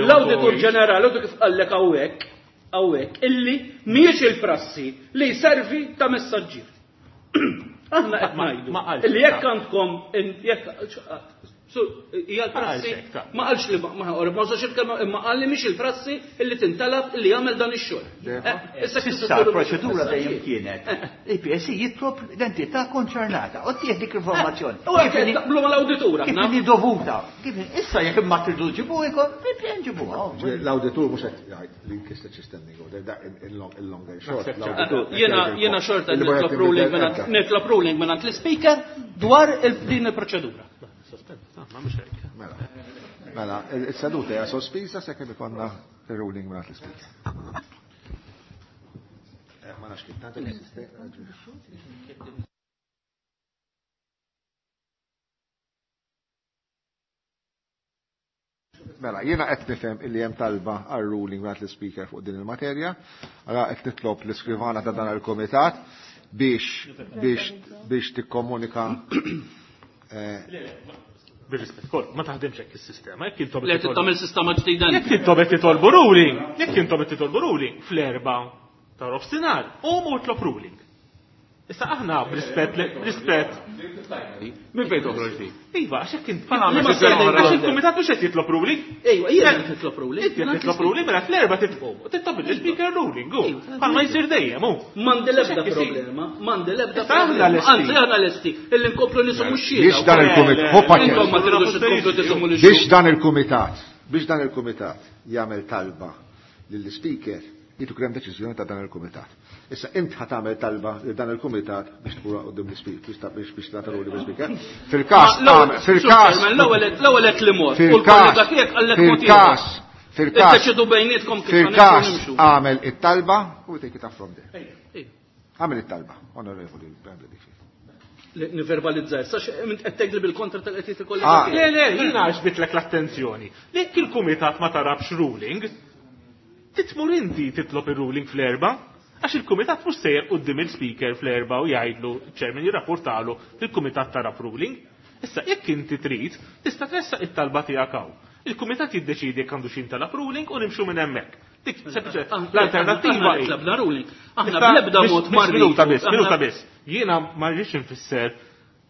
L-Awditur Ġenerali kif qallek hawnhekk hawnhekk illi mhijiex il-prassi li jservi ta' messaġġier. Aħna qed ngħidu illi jekk għandkom jekk hija l-prassi ma qalx li ma ma użax il-kelma imma qal li mhix il-prassi illi tintalab illi jagħmel dan ix-xogħol. Issa issa l-proċedura dejjem kienet il-P S C jitlob l-entità konċernata u tieħ dik l-informazzjoni. U hekk taqblu mal-awditur aħna. Kif inhi dovuta. Issa jekk ma tridu ġibuha il-P N ġibuha. L-awditur mhux qed jgħid li nkisret xi standing order dak il-longer short. Jiena jiena xorta nitlob ruling nitlob ruling mingħand l-ispeaker dwar din il-proċedura. Mela, mela, il-seduta hija sospiża sakemm ikollna ir-ruling mingħand l-ispeaker. Ma nafx kif tagħti l-sistema. Mela, jiena qed nifhem illi hemm talba għal ruling mingħand l-ispeaker fuq din il-materja, allora qed nitlob l-iskrivana ta' dan il-kumitat biex biex biex tikkomunika. Bir-rispett kol, ma taħdimx hekk is-sistema, jekk intom Le tagħmel sistema ġdida. Jekk intom qed titolbu ruling, jekk intom qed titolbu ruling fl-erba' ta' nofsinhar, qumu tlob ruling. Issa aħna b'rispett rispett. Min fejn toħroġ di? Iva, għax hekk int għax il-kumitat mhux qed jitlob ruling. Ejwa, jiena qed nitlob ruling. Inti qed titlob ruling mela fl-erba' titlob il-speaker ruling, hu. Bħalma jsir dejjem, hu. M'għandi l-ebda problema, m'għandi l-ebda problema. Anzi aħna lesti illi nkomplu nisumu x-xhieda. Biex dan il-kumitat, hu biex dan il-kumitat, biex dan il-kumitat jagħmel talba lill-speaker jitu krem deċiżjoni ta' dan il-kumitat. Issa int ħa tagħmel talba li dan il-kumitat biex tkun quddiem l-ispeaker biex biex tagħtu ruling l-ispeaker. Fil-każ fil-każ l-ewwel qed li mod u l-kollega tiegħek qallek mod fil-każ fil-każ iddeċidu bejnietkom kif fil-każ għamel it-talba u take it up from there. Għamel it-talba, onorevoli Bradley. Niverbalizzaj, sax qed tgħidli bil-kontra tal-qed il-kollega. Le le, jiena għax l-attenzjoni. Jekk il-kumitat ma tarabx ruling, titmur inti titlob ir-ruling fl-erba, għax il-kumitat mhux sejjer quddiem il-speaker fl-erba u jgħidlu ċ-chairman jirrapportalu il-kumitat tarab ruling. Issa jekk inti trid, tista' tressaq it-talba tiegħek hawn. Il-kumitat jiddeċidi jekk għandu x'intalab ruling u nimxu minn hemmhekk. Dik sempliċement l-alternattiva hi. Tlabna ruling. Aħna bl-ebda mod ma Minuta biss, minuta biss. Jiena ma rridx infisser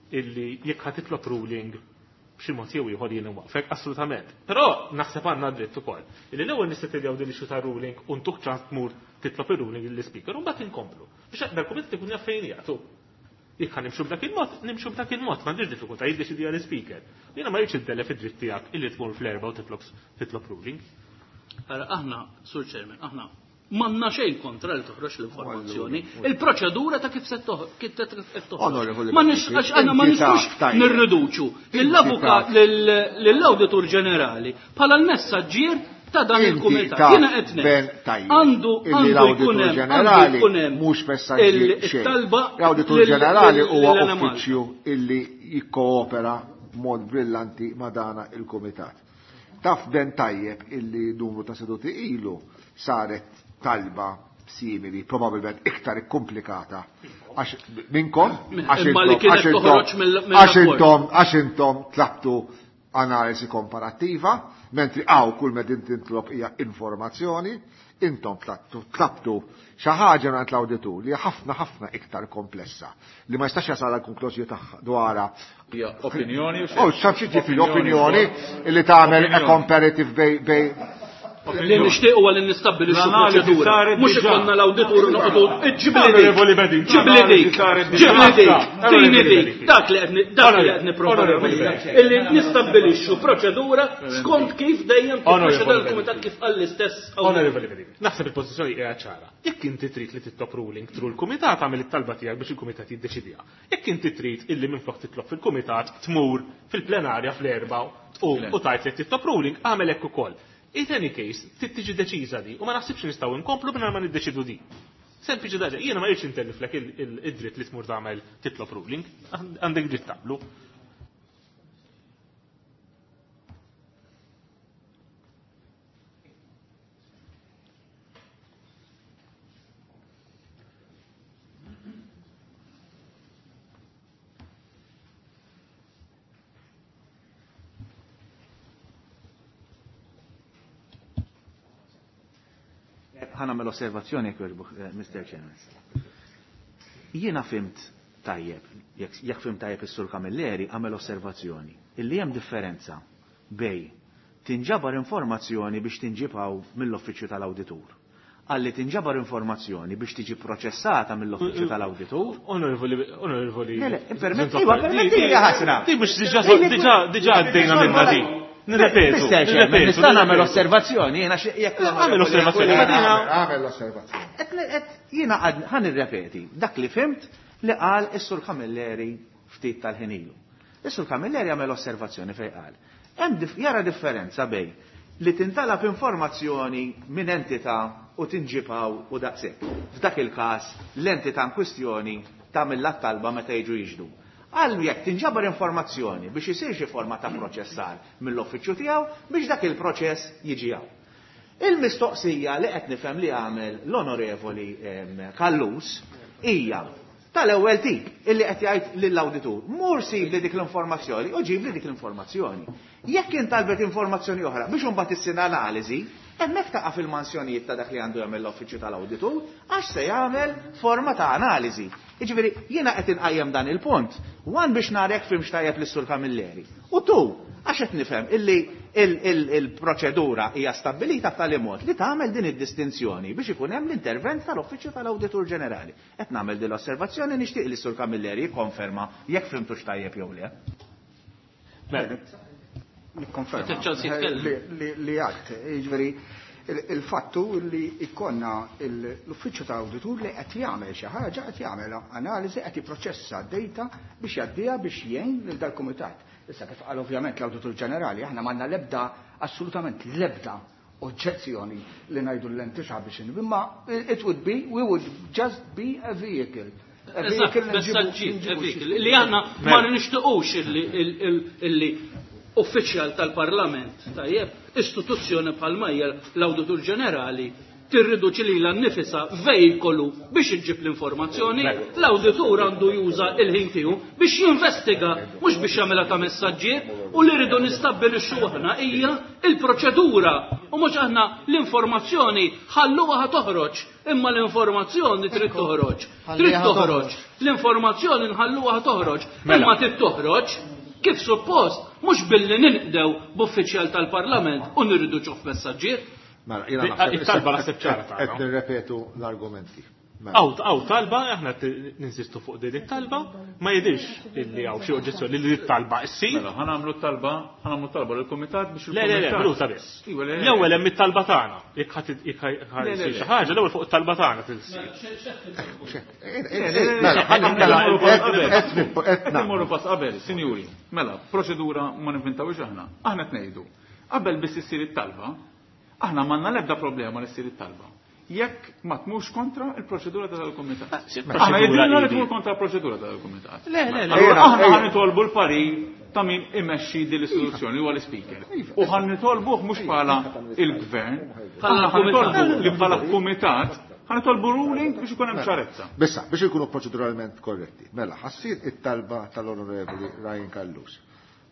illi jekk ħa titlob ruling b'xi mod jew ieħor jien waqfek, assolutament. Però naħseb għandna dritt ukoll. Illi l-ewwel nissettiljaw din issue ta' ruling u ntuh ċans tmur titlob ir-ruling lill-ispeaker u mbagħad inkomplu. Biex dal-kumitat ikun jaf fejn jagħtu. Jekk ħa nimxu b'dak il-mod, nimxu b'dak il-mod, m'għandix diffikultà jiddeċidi għall-ispeaker. Jiena ma rridx iddellef id-dritt tiegħek illi tmur fl-erba' u titlob titlob ruling. Ara aħna, Sur Chairman, aħna m'għandna xejn kontra li toħroġ l-informazzjoni. Il-proċedura ta' kif se toħroġ. Ma nix għax aħna ma nistgħux nirriduċu lill-avukat lill-Awditur Ġenerali bħala l-messaġġier ta' dan il-kumitat. Jiena qed ngħid għandu għandu jkun hemm għandu jkun hemm mhux messaġġier xejn. It-talba L-Awditur Ġenerali huwa uffiċċju illi jikkoopera b'mod brillanti ma' dana il-kumitat. Taf ben tajjeb illi numru ta' seduti ilu saret talba simili, probabilment iktar ikkomplikata. Għax minnkom, għax Imma li intom, kienet għax intom, toħroġ mill- għax mill-rapport. intom, għax intom tlabtu analisi komparattiva, mentri għaw kull med titlob hija informazzjoni, intom tlabtu, tlabtu xi ħaġa mingħand l-awditur li hija ħafna ħafna iktar komplessa li ma jistax jasal għal konklużjoni tagħha dwarha. Hija opinjoni u Oh, x'taf xi ġifieri opinjoni li tagħmel a comparative bej bej Li nixtieq huwa li nistabbilixxu L-analiżi proċedura. saret Mhux diġà. ikollna l-awditur noqogħdu ġibli dik. Onorevoli Bedin, Ġibli dik. l-analiżi saret diġà. Ġibli dik. Onorevoli Tini dik. Bedin. Dak li qed dak li qed nipprova Onorevoli nagħmel. Bedin. Illi nistabbilixxu proċedura skont kif dejjem kif Onorevoli proċedura Bedin. l-kumitat kif qal l-istess. Onorevoli Bedin, naħseb il-pożizzjoni hija ċara. Jekk inti trid li titlob ruling through il-kumitat għamel it-talba tiegħek biex il-kumitat jiddeċidiha. Jekk inti trid illi minflok titlob fil-kumitat tmur fil-plenarja fl-erba' tqum u tgħid li titlob ruling għamel hekk ukoll. In any case, trid tiġi deċiża di u ma naħsibx nistgħu nkomplu mingħajr ma niddeċidu di. Sempliċi daġa, jiena ma rridx intelliflek id-dritt li tmur tagħmel titlob ruling, għandek dritt tagħmlu. Ħa nagħmel osservazzjoni jekk jogħġbok, Mister Chairman. Jiena fimt tajjeb, jekk fimt tajjeb is-Sur Camilleri għamel osservazzjoni illi hemm differenza bej tinġabar informazzjoni biex tinġibaw mill-uffiċċju tal-awditur. Għalli tinġabar informazzjoni biex tiġi proċessata mill-uffiċċju tal-awditur. Onorevoli, onorevoli. Le, le, permetti, permetti li ħasra. Di mhux diġà diġà għaddejna minna di. Nirrepetu, nirrepetu. Nista' nagħmel osservazzjoni, jiena jekk Għamel osservazzjoni, Għamel osservazzjoni. Jiena ħa nirrepeti dak li fimt li qal is-Sur Camilleri ftit tal-ħin ilu. Is-Sur Camilleri għamel osservazzjoni fejn qal. Hemm jara differenza bej li tintalab informazzjoni minn entità u tinġibaw u daqshekk. F'dak il-każ l-entità in kwistjoni tagħmel talba meta jiġu jiġdu. Għal jekk tinġabar informazzjoni biex isir xi forma ta' proċessar mill-uffiċċju tiegħu biex dak il-proċess jiġi hawn. Il-mistoqsija li qed nifhem li għamel l-Onorevoli Callus hija tal-ewwel tip illi qed jgħid lill-awditur, mur sib li dik l-informazzjoni u ġib li dik l-informazzjoni. Jekk intalbet informazzjoni oħra biex imbagħad issir analiżi, hemmhekk taqa' fil-mansjonijiet ta' dak li għandu jagħmel l-uffiċċju tal-awditur għax se jagħmel forma ta' analiżi. Jiġifieri jiena qed inqajjem dan il-punt, one biex nara jekk fimx tajjeb lis-Sur Camilleri. U tu, għax qed nifhem illi il-proċedura hija stabbilita b'tali mod li tagħmel din id-distinzjoni biex ikun hemm l-intervent tal-Uffiċċju tal-Awditur Ġenerali. Qed nagħmel din l-osservazzjoni nixtieq li s-Sur Camilleri jikkonferma jekk fimtux tajjeb jew le. Nikkonferma li għadt, jiġifieri il-fattu li ikkonna l-uffiċċju tal-awditur li qed jagħmel xi ħaġa, qed jagħmel analiżi, qed jipproċessa data biex jgħaddiha biex jgħin lil dal-kumitat. Issa kif qal ovvjament l-Awditur Ġenerali, aħna m'għandna l-ebda, assolutament l-ebda oġġezzjoni li ngħidu l-entità biex imma it would be, we would just be a vehicle. Eżatt, messaġġier, vehicle. Li aħna ma nixtiequx illi uffiċjal tal-Parlament, tajjeb, istituzzjoni bħalma hija l-Awditur Ġenerali tirriduċi lilha nnifisha vejkolu biex iġġib l-informazzjoni, l-awditur għandu juża il-ħin tiegħu biex jinvestiga, mhux biex jagħmilha ta' messaġġier, u li rridu nistabbilixxu aħna hija il-proċedura u mhux aħna l-informazzjoni ħalluha toħroġ, imma l-informazzjoni trid toħroġ. Trid toħroġ. L-informazzjoni nħalluha toħroġ, imma trid toħroġ kif suppost, mhux billi ninqdew b'uffiċjal tal-Parlament u nirriduċuh f'messaġġier. Mela, jiena naħseb it-talba naħseb ċara tagħna. Qed nirrepetu l-argumenti. Aw, aw talba, aħna ninsistu fuq din it-talba, ma jidhirx illi hawn xi oġġezzjoni li t-talba issir. Mela, ħa nagħmlu t-talba, ħa nagħmlu t-talba lill-kumitat biex Le, le, le, minuta biss. L-ewwel hemm it-talba tagħna. Jekk ħadd jekk xi ħaġa, l-ewwel fuq it-talba tagħna tilsir. Mela, qed immorru pass qabel, sinjuri. Mela, proċedura ma ninventawx aħna. Aħna qed ngħidu. Qabel biss issir it-talba, aħna m'għandna l-ebda problema li ssir it-talba. Jekk ma tmux kontra il-proċedura tal-kumitat. Aħna jidhirna li tmur kontra l-proċedura tal-kumitat. Le, le, le. Aħna ħa nitolbu l-parir ta' min imexxi din l-istituzzjoni huwa l-ispeaker. U ħa nitolbuh mhux bħala il-gvern, aħna ħa nitolbu li bħala kumitat ħa nitolbu ruling biex ikun hemm ċarezza. Bissa, biex ikunu proċeduralment korretti. Mela, ħassir it-talba tal-Onorevoli Ryan Callus.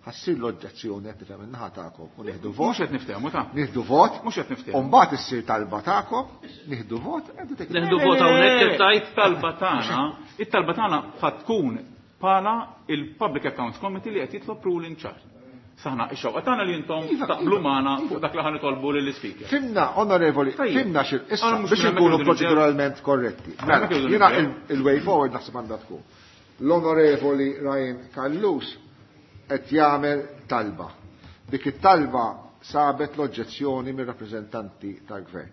Ħassir l-oġġezzjoni qed nifhem in-naħa tagħkom u nieħdu vot. Mhux qed niftehmu ta' Nieħdu vot. Mhux qed niftehmu. U mbagħad issir talba tagħkom, nieħdu vot, Nieħdu vot hawnhekk kif tajt talba tagħna, it-talba tagħna ħa tkun bħala il-Public Accounts Committee li qed jitlob ruling ċar. Saħna ix-xewqa tagħna li intom taqblu magħna fuq dak li ħa nitolbu lill-ispeaker. Fimna, onorevoli, fimna xi issa biex inkunu proċeduralment korretti. Mela, jiena il-way forward naħseb għandha tkun. L-Onorevoli Ryan Callus qed jagħmel talba. Dik it-talba sabet l-oġġezzjoni mir-rappreżentanti tal-gvern.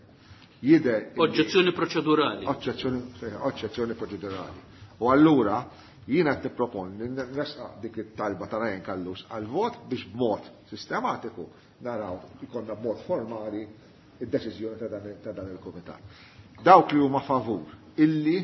Jidher oġġezzjoni proċedurali. Oġġezzjoni, oġġezzjoni proċedurali. U allura Jiena qed nipproponi li nresaq dik it-talba ta' Ryan Callus għal vot biex b'mod sistematiku naraw ikollna b'mod formali id-deċiżjoni ta' dan il-kumitat. Dawk li huma favur illi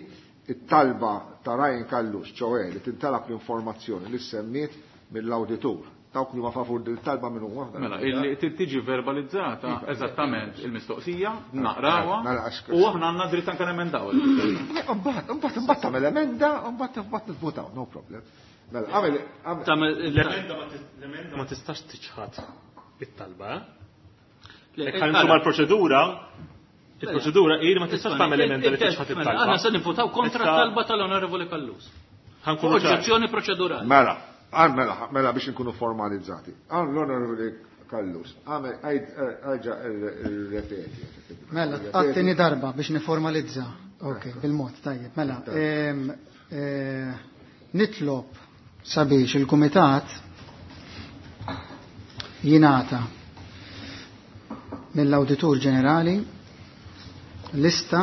it-talba ta' Ryan Callus, ċoè li tintalab l-informazzjoni li semmiet mill-awditur. Dawk li huma favur din it-talba min huma? Mela, illi tiġi verbalizzata eżattament il-mistoqsija, naqrawha, u aħna għandna dritt anke nemendaw. Imbagħad, imbagħad, imbagħad tagħmel emenda, imbagħad imbagħad nivvutaw, no problem. Mela, għamel l-emenda ma tistax tiċħad it-talba. Jekk ħanimxu mal-proċedura, il-proċedura hi li ma tistax tagħmel emenda li tiċħad it-talba. Aħna se nivvutaw kontra t-talba tal-Onorevoli Callus. Oġġezzjoni proċedurali. Mela. Mela, mela biex nkunu formalizzati. L-Onorevoli Callus, għamel, għajġa ripeti. Mela, għattini darba biex niformalizza. Ok, bil-mod, tajjeb. Mela, nitlob sabiex il-Kumitat jingħata mill-Awditur Ġenerali lista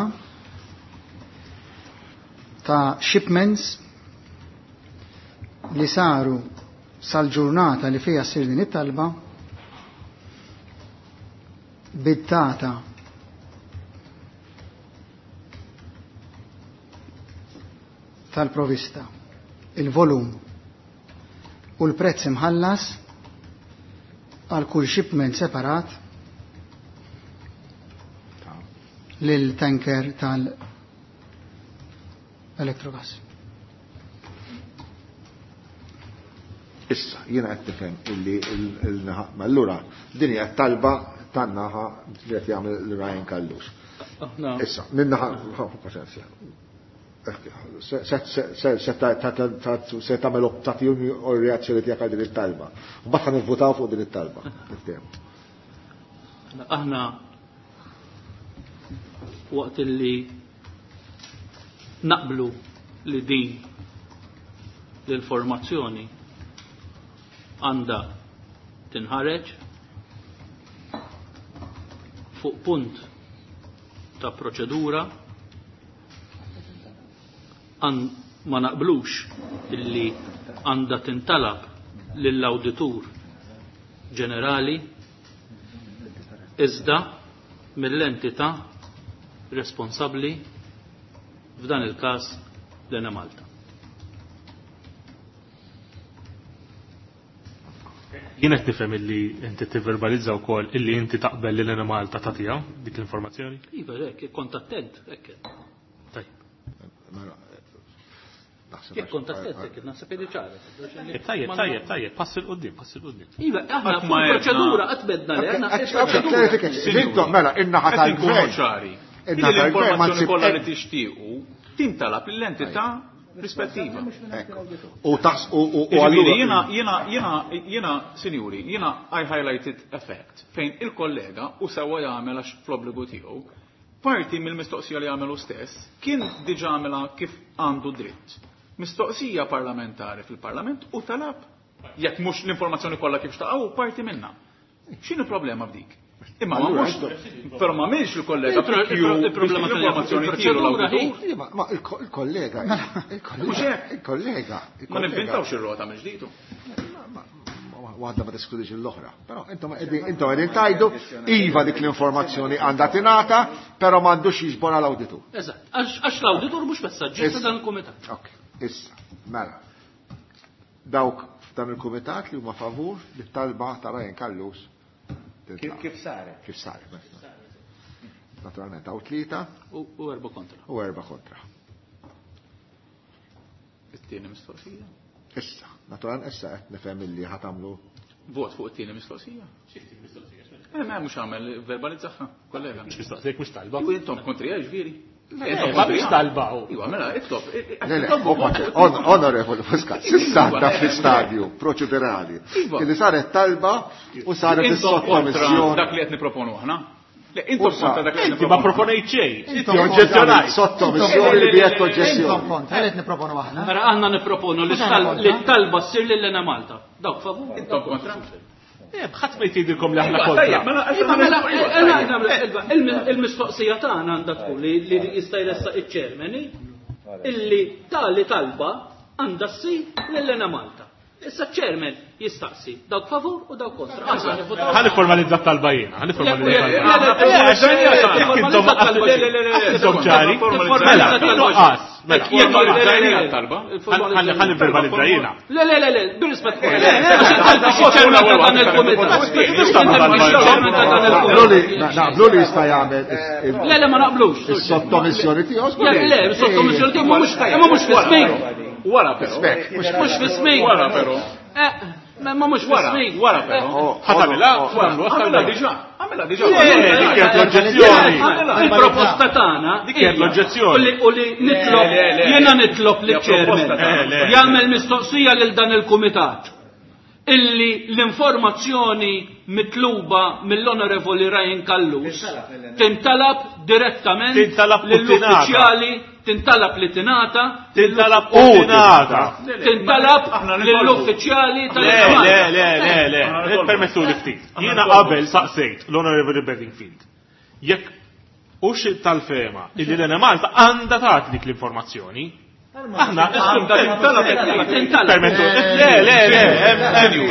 ta' shipments li saru sal-ġurnata li fija ssir din it-talba bid-data tal-provista, il-volum u l-prezz imħallas għal kull shipment separat lil tanker tal-Electrogas. Issa, jiena qed tifhem illi il-naħa, allura din hija talba tan-naħa li qed jagħmel Ryan Callus. Issa, min-naħa, paċenzja. Se tagħmel tagħtihom reazzjoni tiegħek għal din it-talba. Mbagħad ħa nivvutaw fuq din it-talba. Aħna waqt illi naqblu li din l-informazzjoni għandha tinħareġ fuq punt ta' proċedura ma naqblux illi għandha tintalab lill-awditur ġenerali iżda mill-entità responsabbli f'dan il-każ l-Enemalta. Jien qed nifhem illi inti tivverbalizza wkoll illi inti taqbel li l-Enemalta tagħtiha dik l-informazzjoni? Iva, hekk, kont attent, hekk. Tajjeb. Jekk kont attent, hekk, naħseb li ċara. Tajjeb, tajjeb, tajjeb, pass il quddiem, pass il quddiem. Iva, aħna fuq proċedura qatt bedna li aħna. Intom mela in-naħa tal-gvern. L-informazzjoni kollha li tixtiequ tintalab lill-entità rispettiva. U taħs u allura jiena jiena jiena jiena sinjuri, jiena I highlighted a fact fejn il-kollega u sewwa jagħmel għax fl-obbligu tiegħu, parti mill-mistoqsija li għamelu stess kien diġà għamilha kif għandu dritt. Mistoqsija parlamentari fil-Parlament u talab jekk mhux l-informazzjoni kollha kif xtaqgħu parti minnha. X'inhu problema f'dik? Imma ma mhux, però ma minx il-kollega il-problema tal-informazzjoni tiegħu. Ma il-kollega, il-kollega. Ma nivvintawx ir-rota minn ġdidu. Waħda ma teskludix l-oħra. Però intom qegħdin tajdu iva dik l-informazzjoni għandha tingħata, però m'għandux jiġbora l-awditur. Eżatt, għax l-awditur mhux messaġġier ta' dan il-kumitat. Ok, issa, mela. Dawk f'dan il-kumitat li huma favur li talba ta' Ryan Callus. Kif saret? Kif saret. Naturalment, għaw tlieta. U erba kontra. U erba kontra. It-tieni mistoqsija? Issa, naturalment issa qed nifhem illi ħa tagħmlu vot fuq it-tieni mistoqsija. Eh, ma mhux għamel verbalizzaha, kollega. Mhux mistoqsija, mhux talba. U intom kontrija ġifieri. Ma biex talba. Iwa, mela, itlob. Onorevoli Muscat, s'issa għadda fl-istadju proċedurali. Illi saret talba u saret is-sottomissjoni. Dak li qed niproponu aħna. Le, intom kontra dak li Inti ma proponejt xejn. Inti oġġezzjonajt. Sottomissjoni li bijet oġġezzjoni. Intom kontra, qed niproponu aħna. Mela aħna nipproponu li t-talba ssir lil Enemalta. Dawk favur. Intom kontra. Ħadd ma jtidilkom li aħna kontra. Il-mistoqsija tagħna għandha tkun li jista' jressaq iċ-chairman illi tali talba Għandha ssir lill-Enemalta. Issa ċ-chairman jistaqsi dawk favur u dawk kontra. Ħalli formalizza talba jiena, ħalli formalizza talba. Intom ċari. Mela, nuqqas. Mela, ħalli formalizza jiena. Le, le, le, le, bir-rispett. Naqblu li jista' jagħmel. Le, le, ma naqblux. Is-sottomissjoni tiegħu. Le, le, is-sottomissjoni tiegħu mhux mhux fi-smig. Wara però. Mhux fi-smig. Wara però. Ma mhux fi-smig. Wara però. Ħatamilha, għamilha diġà. Għamilha diġà. Dik kienet l-oġġezzjoni. Il-proposta tagħna. Dik kienet l-oġġezzjoni. U li nitlob, jiena nitlob liċ-chairman jagħmel mistoqsija lil dan il-kumitat illi l-informazzjoni mitluba mill-Onorevoli Ryan Callus tintalab direttament lill-uffiċjali, tintalab li tingħata, tintalab u tingħata, tintalab lill-uffiċjali tal Le, le, le, le, le, permettu li ftit. Jiena qabel saqsejt l-Onorevoli Bedingfield jekk hux tal-fehma illi l-Enemalta għandha tagħti dik l-informazzjoni. Aħna, permettu, le, le, le,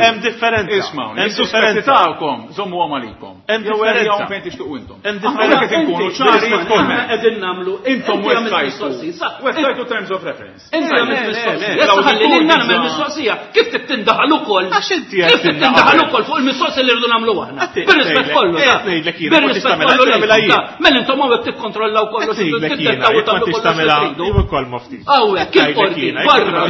hemm differenza. Isma'w, hemm differenza tagħkom, żommu għamalikom. Hemm differenza. Fejn tixtuqu intom. Hemm differenza. Inkunu ċari, qegħdin nagħmlu. Intom website terms of reference. Inti għamilt mistoqsija. Issa ħalli lil nagħmel mistoqsija. Kif trid tindaħal ukoll? Għax inti kif trid tindaħal ukoll fuq il-mistoqsija li rridu nagħmlu aħna? Bir-rispett kollu. Bir-rispett kollu. Mela intom hawnhekk tikkontrollaw kollox. Tiddettaw u tagħmlu kollox. Hawnhekk il-qorti, barra,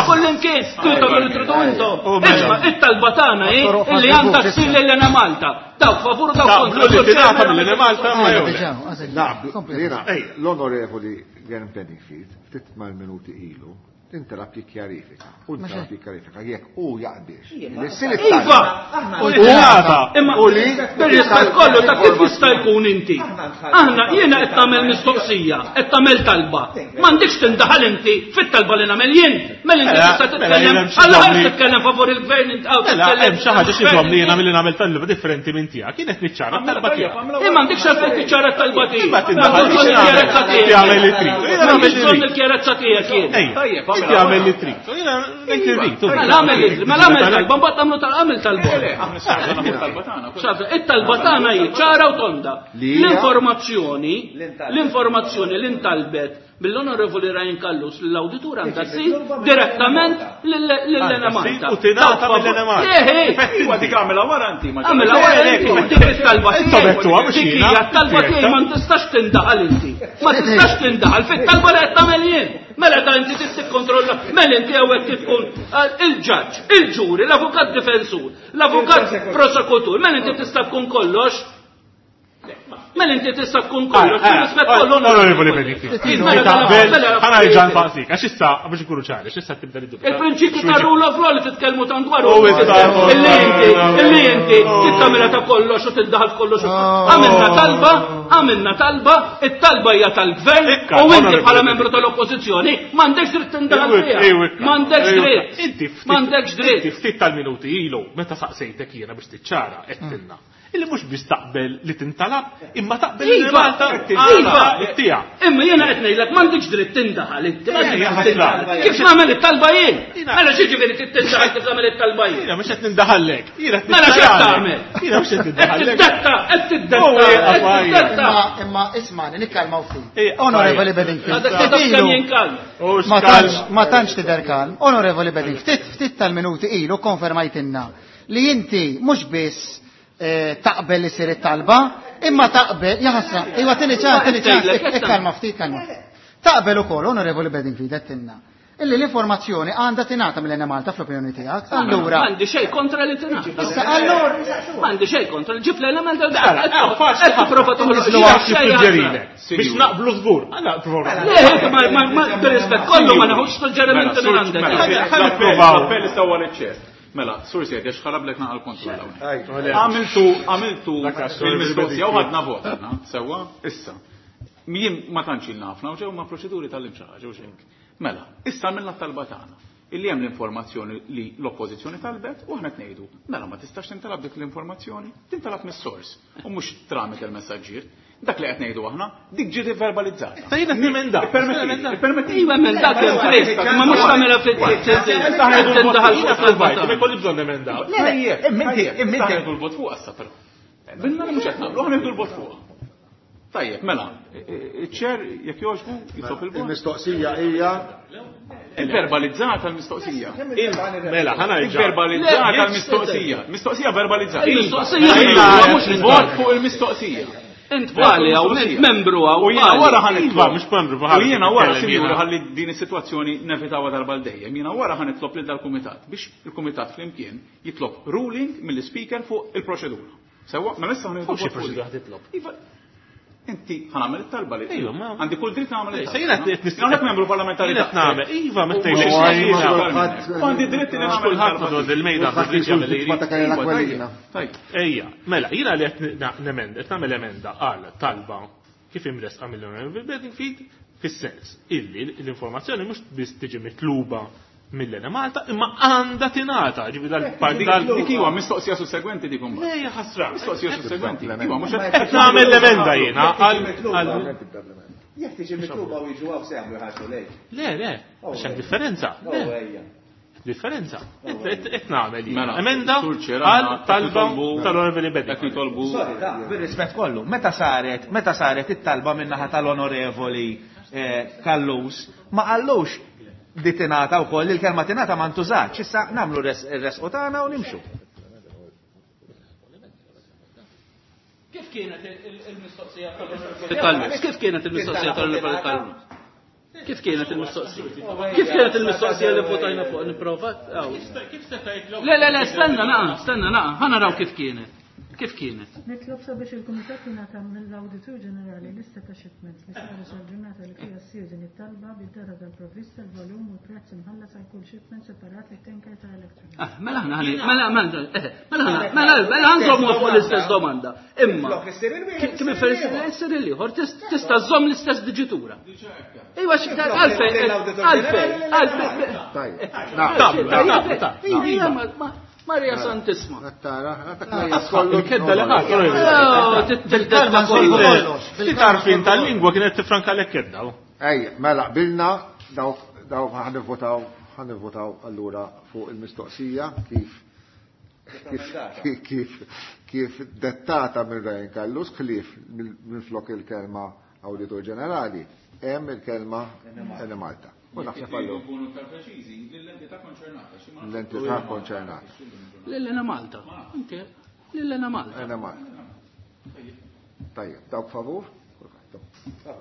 kullimkien, tagħmlu li tridu intom. Isma' it-talba tagħna hi illi għandha ssir lil Enemalta. Dawk favur u dawk kontra. Li tingħata mill-Enemalta ma jew. L-Onorevoli Glenn Bedingfield ftit mal-minuti ilu tintalab jikkjarifika. U tintalab jikkjarifika jekk hu jaqbiex. Iva! Imma u li bir-rispett kollu ta' kif jista' jkun inti. Aħna jiena qed tagħmel mistoqsija, qed tagħmel talba. M'għandekx tindaħal inti fit-talba li nagħmel jien. Mela inti tista' titkellem, alla ħares titkellem favur il-gvern inti hawn Mela hemm xi ħaġa xi żomm li jiena milli nagħmel talba differenti minn tiegħek. Kienet niċċara t-talba tiegħek. Imma m'għandekx għalfejn tiċċara t-talba tiegħek. Imma tindaħal il-kjarezza tiegħek. Jagħmel li trid. M'għandix bżonn il-kjarezza tiegħek jien. Tajjeb, inti għamel li trid. Jiena ngħid li rrid. Mela għamel li trid, mela għamel talba, mbagħad tagħmlu tal-għamel talba. It-talba tagħna hi ċara u tonda. L-informazzjoni, l-informazzjoni li ntalbet mill-Onorevoli Ryan Callus l-awditur għandha ssir direttament lill-Enemalta. U tingħata mill-Enemalta. Iva dik għamilha wara inti. Għamilha wara inti, dik it-talba tiegħek. Dik hija t-talba tiegħi ma tistax tindaħal inti. Ma tistax tindaħal fit-talba li qed tagħmel jien. Mela ta' inti trid tikkontrolla, mela inti hawnhekk tkun il-ġaġġ, il-ġuri, l-avukat difensur, l-avukat prosekutur, mela inti tista' tkun kollox. Mela inti tista' tkun kollox, rispett kollu. Onorevoli Bedingfield. Ħa nerġa' nsaqsik, għax issa biex ikunu ċari, għax issa tibda id-dubju. Il-prinċipju ta' rule of law li titkellmu tant dwar illi inti, illi inti tittamilha ta' kollox u tiddaħal f'kollox. Għamilna talba, għamilna talba, it-talba hija tal-gvern u inti bħala membru tal-oppożizzjoni m'għandekx dritt tindaħal fiha. M'għandekx dritt. M'għandekx dritt. Inti ftit tal-minuti ilu meta saqsejtek jiena biex tiċċara qedtilna. Illi mhux biss taqbel li tintalab, imma taqbel li Malta tiegħek. Imma jiena qed ngħidlek m'għandekx dritt tindaħal inti. Kif nagħmel it-talba jien? Mela xi ġifieri tindaħal kif nagħmel it-talba jien? Jiena mhux qed nindaħallek. Jiena Mela x'qed tagħmel? Jiena mhux qed nindaħallek. Qed tiddetta, qed tiddetta. Imma ismani nikkalmaw ftit. Onorevoli Bedingfield. Ma tantx tidher kalm. Onorevoli Bedingfield, ftit tal-minuti ilu konfermajtinna li inti mhux biss taqbel li sir it-talba, imma taqbel, jaħasra, iwa tini ċan, tini ċan, ikkalma ftit, kalma ftit. Taqbel ukoll, Onorevoli Bedingfield, għedtilna, illi l-informazzjoni għandha tingħata mill-Enemalta fl-opinjoni tiegħek. Allura. M'għandi xejn kontra li tingħata. Issa allura. M'għandi xejn kontra, ġib l-Enemalta qed tipprova toħloq biex naqblu żgur. Le, ma bir-rispett kollu ma naħux suġġerimenti minn għandek. L-appell sewwa l-ċess. Mela, sur sejt, għax ħarablek naqal kontroll hawnhekk. Għamiltu, għamiltu il-mistoqsija u ħadna vot aħna, sewwa, issa. Jien ma tantx ilna ħafna u ġew ma' proċeduri tal-imxi ħaġa u xejn. Mela, issa għamilna t-talba tagħna. Illi hemm l-informazzjoni li l-oppożizzjoni talbet u aħna ngħidu, mela ma tistax tintalab dik l-informazzjoni, tintalab mis-sors u mhux tramite il-messaġġier. Dak li qed ngħidu aħna, dik ġiet verbalizzata. Ta' jiena nemenda. Permetti. Iva emenda kemm trid, ma mhux tagħmilha fit-tindaħal fuq Provajt, ma jkolli bżonn nemenda. Le, imminti, imminti. Aħna l-vot fuq issa però. Binna li mhux qed nagħmlu, aħna nieħdu l-vot fuq. Tajjeb, mela, iċ-ċer jekk jogħġbu jitlob il-vot. Il-mistoqsija hija Verbalizzata l-mistoqsija. Mela, ħa nerġa'. Verbalizzata l-mistoqsija. Mistoqsija verbalizzata. Il-mistoqsija mhux Vot fuq il-mistoqsija. Int pali hawn, int membru hawn. U jiena wara ħa Iva, nitlob. mhux membru, U jiena wara, nitkellem sinjura, jiena. ħalli din is-sitwazzjoni nevitawha darba l dejjem. Jiena wara ħa nitlob lil dal-kumitat biex il-kumitat flimkien jitlob ruling mill-speaker fuq il-proċedura. Sewwa, mela issa ħa nieħdu Fuq xi vot fuq proċedura dik. ħa titlob? Iva, inti ħa nagħmel it-talba li. Ejwa, ma- Għandi kull dritt nagħmel Se it-talba. jiena qed Jien hawnhekk membru parlamentari. Jiena qed nagħmel. Iva, ma U tgħidx mhux jiena. kulħadd- U għandi dritt li nagħmel Kulħadd it-talba. madwar il-mejda għandu Kulħadd dritt jagħmel li vittma jrid. ta' Karina Iva, Aquilina. Tajjeb. Ejja, mela, jiena li qed nemend, qed nagħmel emenda għal talba kif imresqa mill-Honorable Bedingfield fis-sens illi l-informazzjoni mhux biss tiġi mitluba mill-Enemalta imma għandha tingħata, ġifi dal-parti dal Dik iwa mistoqsija sussegwenti dik imbagħad. Ejja ħasra. Mistoqsija sussegwenti. Iva, mhux Qed nagħmel l-emenda jiena għal għal- Jekk tiġi mitluba u jiġu hawn se jagħmlu ħarsu lejk. Le, le, għax hemm differenza. Le, ejja. differenza. Qed nagħmel jiena. Mela, Emenda Sur Chair, għal aħna qed talba nitolbu- tal-Honorable Qed Bedingfield. nitolbu Sorry, da, bir-rispett kollu, meta saret, meta saret it-talba min-naħa tal-onorevoli eh, Kallus, ma qallux di tingħata wkoll il-kelma tingħata ma ntużatx, issa nagħmlu res- ir-resqu tagħna u nimxu. Kif kienet il-mistoqsija tal-Onorevoli Kif kienet il-mistoqsija tal-Onorevoli Kallus? Kif kienet il-mistoqsija? Kif kienet il-mistoqsija li votajna fuq nipprova? Kif seta' jitlob? Le, le, le, stenna naqa, stenna naqa, ħa naraw kif kienet. Kif kienet? Nitlob sabiex il-Kumitat jingħata mill-Awditur Ġenerali lista ta' shipments li saru sal-ġurnata li fiha ssir din it-talba bid-data tal-provvista, il-volum u l-prezz imħallas għal kull shipment separat lit-tanker ta' Electrogas. Ah, mela aħna ħani, mela mela eh, mela aħna, mela mela ħanżommu fuq l-istess domanda. Imma Flok issir il-wieħed, kim issir il-ieħor. issir il-ieħor tista' żżomm l-istess diġitura. Ejwa għalfejn, għalfejn, għalfejn. Tajjeb. Tab, tab, tab. Ija, ma- Marija Santisma. Tara, kollu. Il-kedda li ħadd, Oh, Tildelma kollu. Ftit għarfien tal-lingwa kienet tifranka lek kedda. Ej, mela, qbilna dawk dawk ħanivvotaw ħanivvotaw allura fuq il-mistoqsija kif kif kif kif dettata minn Ryan Callus ħlief minn flok il-kelma Awditur Ġenerali hemm il-kelma Enemalta. U naħseb allu Nkunu iktar preċiżi lill-entità konċernata. xi ma- l-entità konċernata. Lillena Malta. Inti, Lillena Malta. Enemalta. Tajjeb, dawk favur? Kulħadd.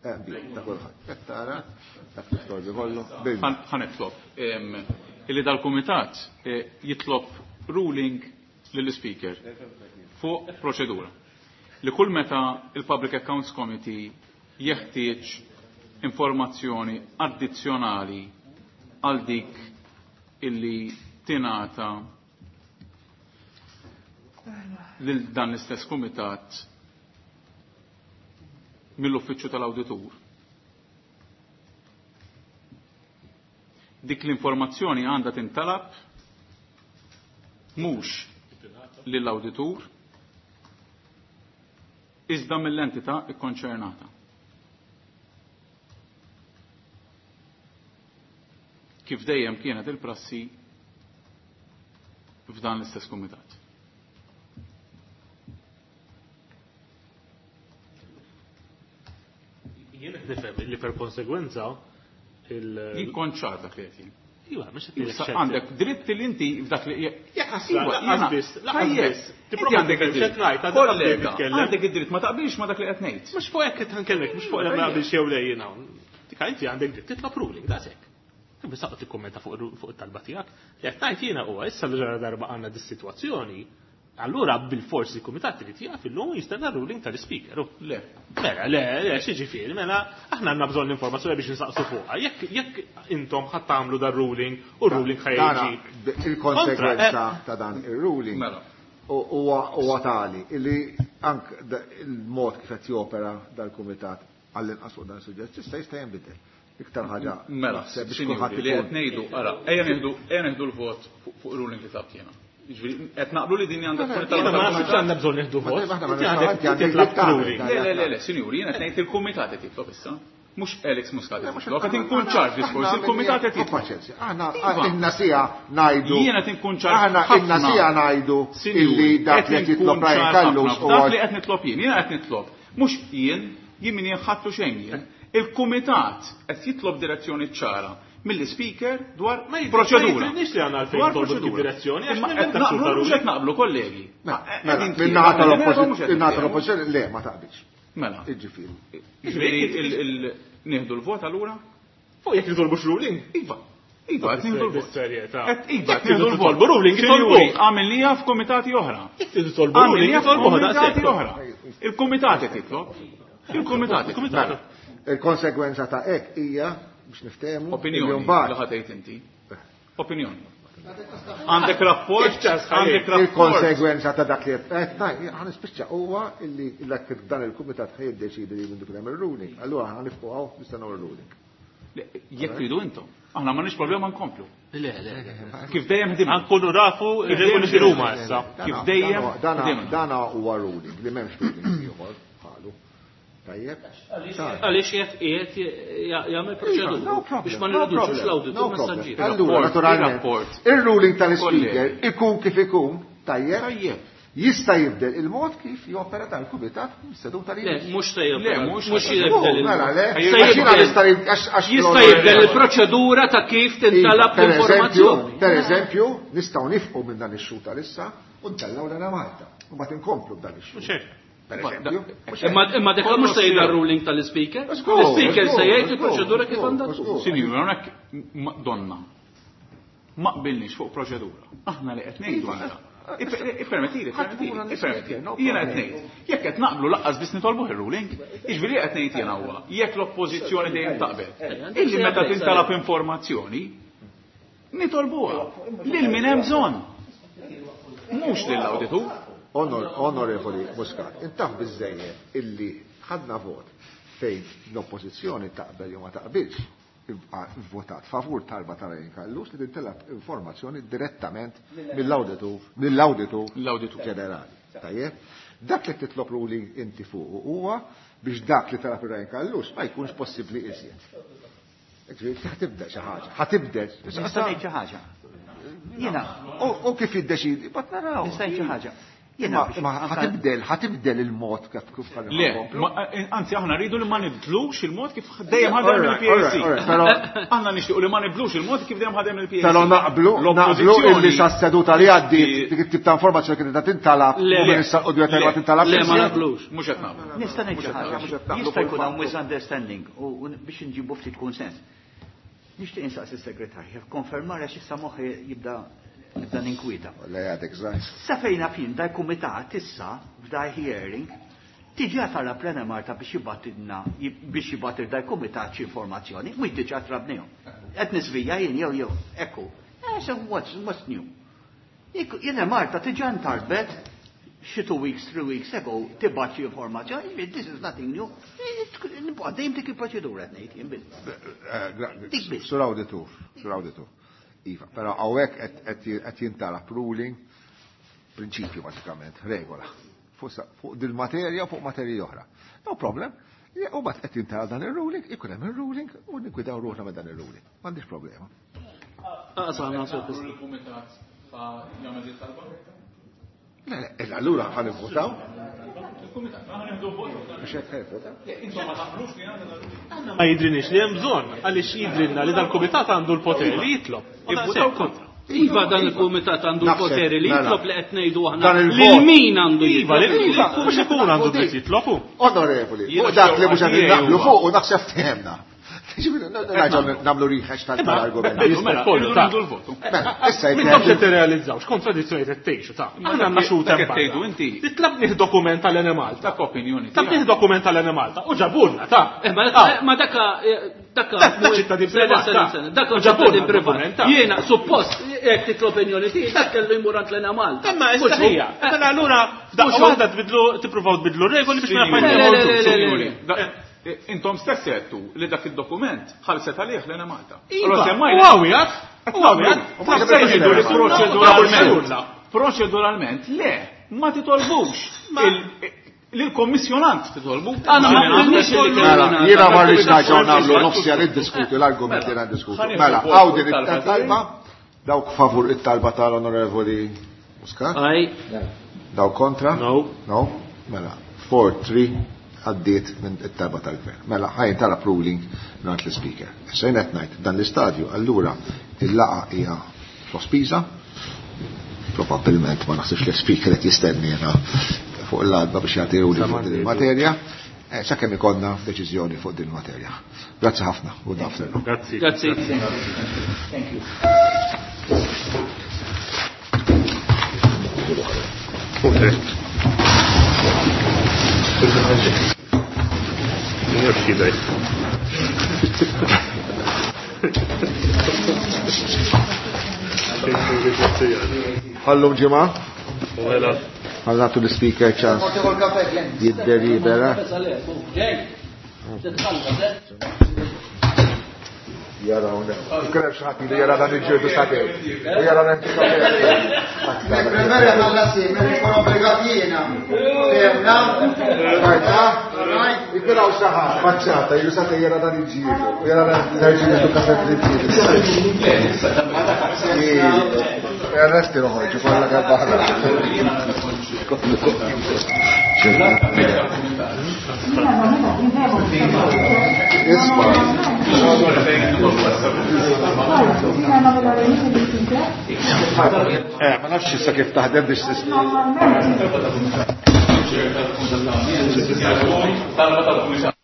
Eh, bil, ta' kulħadd. Qed tara, dak l-istorbi kollu. Bil. Ħa nitlob em, illi dal-kumitat eh, jitlob ruling lill-speaker fuq proċedura. Li kull meta il-Public Accounts Committee jeħtieġ informazzjoni addizzjonali għal dik illi tingħata lil dan l-istess kumitat mill-uffiċċju tal-awditur. Dik l-informazzjoni għandha tintalab mhux lill-awditur iżda mill-entità kkonċernata. Kif dejjem kienet il-prassi f'dan l-istess kumitat. Jien qed nifhem li per konsegwenza il Jien kont ċar dak li qed jien. Iva, mhux qed ngħidlek Issa ċert. għandek dritt li inti f'dak li Iva, lanqas biss, lanqas biss. Inti Tipprova għandek tifhem id-dritt. x'qed ngħid, għadha qabel Kollega, nitkellem. għandek id-dritt ma taqbilx ma dak li qed ngħid. Mhux fuq hekk qed nkellmek, mhux fuq li ma naqbilx jew le jiena. Dik inti għandek dritt titlob ruling, daqshekk. Biss aqgħod tikkummenta fuq fuq it-talba tiegħek. Li qed ngħid jiena huwa issa li ġara darba għandna dis-sitwazzjoni, allura bil-forsi il-kumitat irid jaqaf illum u jistenna ruling tal-ispeaker. Le. Mela, le, le, xi ġifieri, mela, aħna għandna bżonn l-informazzjoni biex nsaqsu fuqha. Jekk jekk intom ħadd tagħmlu dar ruling u r-ruling Tara, ħajġi. il-konsegwenza ta' dan il-ruling Mela. huwa huwa tali illi ank da- il-mod kif qed jopera dal-kumitat għall-inqas fuq dan is-suġġett issa jista' jinbidel. Iktar ħaġa. Mela, biex kulħadd li qed ngħidu, ara, ejja nieħdu ejja nieħdu l-vot fuq ruling li tabt jiena. Jiġifieri qed naqblu li din għandha tkun talba. Ma naħsibx għandna bżonn nieħdu vot. Le, le, le, le, sinjuri, jiena qed ngħid il-kumitat qed jitlob issa. Mhux Alex Muscat qed jitlob, qed inkun ċar diskors, il-kumitat qed jitlob. Aħna inna sija ngħidu. Jiena qed inkun ċar. Aħna inna sija ngħidu illi dak li qed jitlob Ryan Callus u dak li qed nitlob jien, jiena qed nitlob. Mhux jien, jien min jinħattu xejn jien. Il-kumitat qed jitlob direzzjoni ċara mill-speaker dwar proċedura. Ma jidrinix li għandna għalfejn nitolbu dik id-direzzjoni għax mhux qed naqblu kollegi. Min-naħa tal-oppożizzjoni le ma taqbilx. Mela. Jiġifieri. Jiġifieri nieħdu l-vot allura? Fuq jekk nitolbux ruling? Iva. Iva, qed nieħdu l-vot. Iva, qed nieħdu l-vot. Ruling itolbu. Għamilniha f'kumitati oħra. Jekk titolbu ruling itolbu f'kumitati oħra. Il-kumitat qed jitlob. Il-kumitat. Il-kumitat. Il-konsegwenza ta' hekk hija biex niftehmu opinjoni li ħatejt inti. Opinjoni. Għandek rapport, għandek rapport. Il-konsegwenza ta' dak li qed ħa nispiċċa huwa illi dan il-kumitat ħa jiddeċidi li jmur hemm ir-ruling. Allura ħa nifqgħu hawn nistennew ir-ruling. Jekk tridu intom. Aħna m'għandniex problema nkomplu. Le, le. Kif dejjem ħdimna. Nkunu rafu ir-regoli x'inhuma issa. Kif dejjem dana huwa ruling li m'hemmx ruling ieħor bħalu. Tajjeb. Għaliex qiegħed jagħmel proċedura biex ma nirriduċux l-awditur messaġġier. Allura naturalment ir-ruling tal-speaker ikun kif ikun, tajjeb. Jista' jibdel il-mod kif jopera tal-kumitat seduta li. Le, mhux se jibdel. Mhux jibdel. Jista' jibdel il-proċedura ta' kif tintalab l-informazzjoni. Per eżempju, nistgħu nifqu minn dan ix-xhur tal-issa u ntellgħu lena Malta. U mbagħad inkomplu b'dan ix-xhur. Imma dak mhux se jgħid ruling tal-ispeaker. L-ispeaker se jgħid il-proċedura kif għandha tkun. Sinjur, hawnhekk donna. Ma qbilniex fuq proċedura. Aħna li qed ngħidu għandha. Ippermettili, ippermettili. Jiena qed ngħid. Jekk qed naqblu laqqas biss nitolbuh ir-ruling, jiġifieri qed ngħid jiena huwa jekk l-oppożizzjoni dejjem taqbel. Illi meta tintalab informazzjoni, nitolbuha lil min hemm bżonn. Mhux lill-awditur. Onorevoli Muscat, intaf biżżejjed illi ħadna vot fejn l-oppożizzjoni taqbel jew ma taqbilx, votat favur talba ta' Ryan Callus li tintalab informazzjoni direttament mill-awditur mill-awditur ġenerali. Tajjeb? Dak li titlob ruling inti fuq huwa biex dak li talab Ryan Callus ma jkunx possibbli iżjed. Ġifieri ħatibda xi ħaġa, ħatibdel. Nista' ngħid xi ħaġa. Jiena. U kif jiddeċidi, bat naraw. Nista' ngħid xi ħaġa. Ma ħatibdel, ħatibdel il-mod kif kif Le, anzi aħna rridu li ma nibdlux il-mod kif dejjem ħadem il-P A C. Aħna nixtiequ li ma nibdlux il-mod kif dejjem ħadem il-P A C. Però naqblu, naqblu illi sa seduta li għaddiet dik it-tip ta' informazzjoni kienet tintalab u minn issa qudiem ma tintalab. Le, ma naqblux. Mhux qed naqblu. Nista' ngħid xi ħaġa. Jista' jkun hawn misunderstanding u biex inġibu ftit kunsens. Nixtieq insaqsi s-segretarju konfermar għax issa moħħi jibda nibda ninkwieta. Le għadek żgħir. Sa fejna fin dal kumitat issa f'daj hearing tiġi tara plena Marta biex jibatilna biex jibatil dal kumitat xi informazzjoni, mhux diġà trabnihom. Qed nisvija jien jew jew ekku. So what's what's new? Jiena Marta tiġa ntarbet xi two weeks, three weeks ago tibgħat xi informazzjoni, this is nothing new. Nibqa' dejjem dik il-proċedura qed ngħid jien biss. Dik biss. Sur awditur, sur awditur. Iva, però hawnhekk qed jintalab ruling prinċipju bażikament, regola. Fuq dil-materja u fuq materji oħra. No problem. U bat qed jintalab dan ir-ruling, ikun hemm ir-ruling u niggwidaw ruħna ma' dan ir-ruling. M'għandix problema. Le, le, allura ħa nivvotaw. Ma jidrinix li hemm bżonn għaliex jidrinna li dal-kumitat għandu l-poteri li jitlob. Ivvutaw kontra. Iva dan il-kumitat għandu l-poteri li jitlob li qed ngħidu aħna lil min għandu jitlob. Iva, mhux ikun għandu dritt jitlobu. Onorevoli, fuq dak li mhux qed naqblu fuq u naħseb fehemna. Namlu riħex tal-argument. Issa jekk qed tirrealizzaw x'kontradizzjoni qed tgħixu ta' aħna għandna xhud hemm tgħidu inti. Titlabnih dokument tal-Ene Malta. Dak opinjoni. Tlabnih dokument tal-Ene Malta u ġabulna ta' Ma daka daka ċittadin privat. Dak ċittadin privat. Jiena suppost jekk titlob opinjoni tiegħi dak kellu jmur għand l-Ene Malta. Imma issa hija. Mela allura f'daqqa waħda tbidlu tippruvaw tbidlu regoli biex ma nafhom. Intom stess għedtu li dak il-dokument ħalset għalih l-Enemalta. Iva, u għawjat, u għawjat. Jgħidu li proċeduralment, proċeduralment, le, ma titolbux. Lil-kommissjonant titolbu. Għana ma qbilniex li Mela, jiena ma rridx nerġgħu nagħmlu nofs jar iddiskuti l-argumenti li niddiskutu. Mela, hawn din it-talba, dawk favur it-talba tal-Onorevoli Muscat? Aye. Dawk kontra? No. No? Mela, four three għaddiet minn it-talba tal-gvern. Mela, ħajn talab ruling mingħand l-Speaker. Issa jien qed ngħid dan l-istadju, allura il-laqgħa hija sospiża. Probabbilment ma naħsibx li l-Speaker qed jistenniena fuq l-għadba biex jagħti ruling fuq din il-materja, eh, sakemm ikollna deċiżjoni fuq din il-materja. Grazzi ħafna, good afternoon. Grazzi. Grazzi. Thank you. Ħallum ġimgħa. Ħallatu l-speaker ċans jiddelibera. Jara un. Krem xħati li jara dan il-ġirdu sakew. U jara dan il-ġirdu. Preferi ħallassi, me nkun obbligat jiena. Femna? Rajta? Ikun hawn xi ħadd faċċata, jiġu sakew jara dan il-ġirdu. U jara dan il-ġirdu kaset il-ġirdu. Resti noħorġu kollha kemm aħna. Isma'. Eh, ma nafx issa kif taħdem biex tisma'. Talba tal-Kumitat.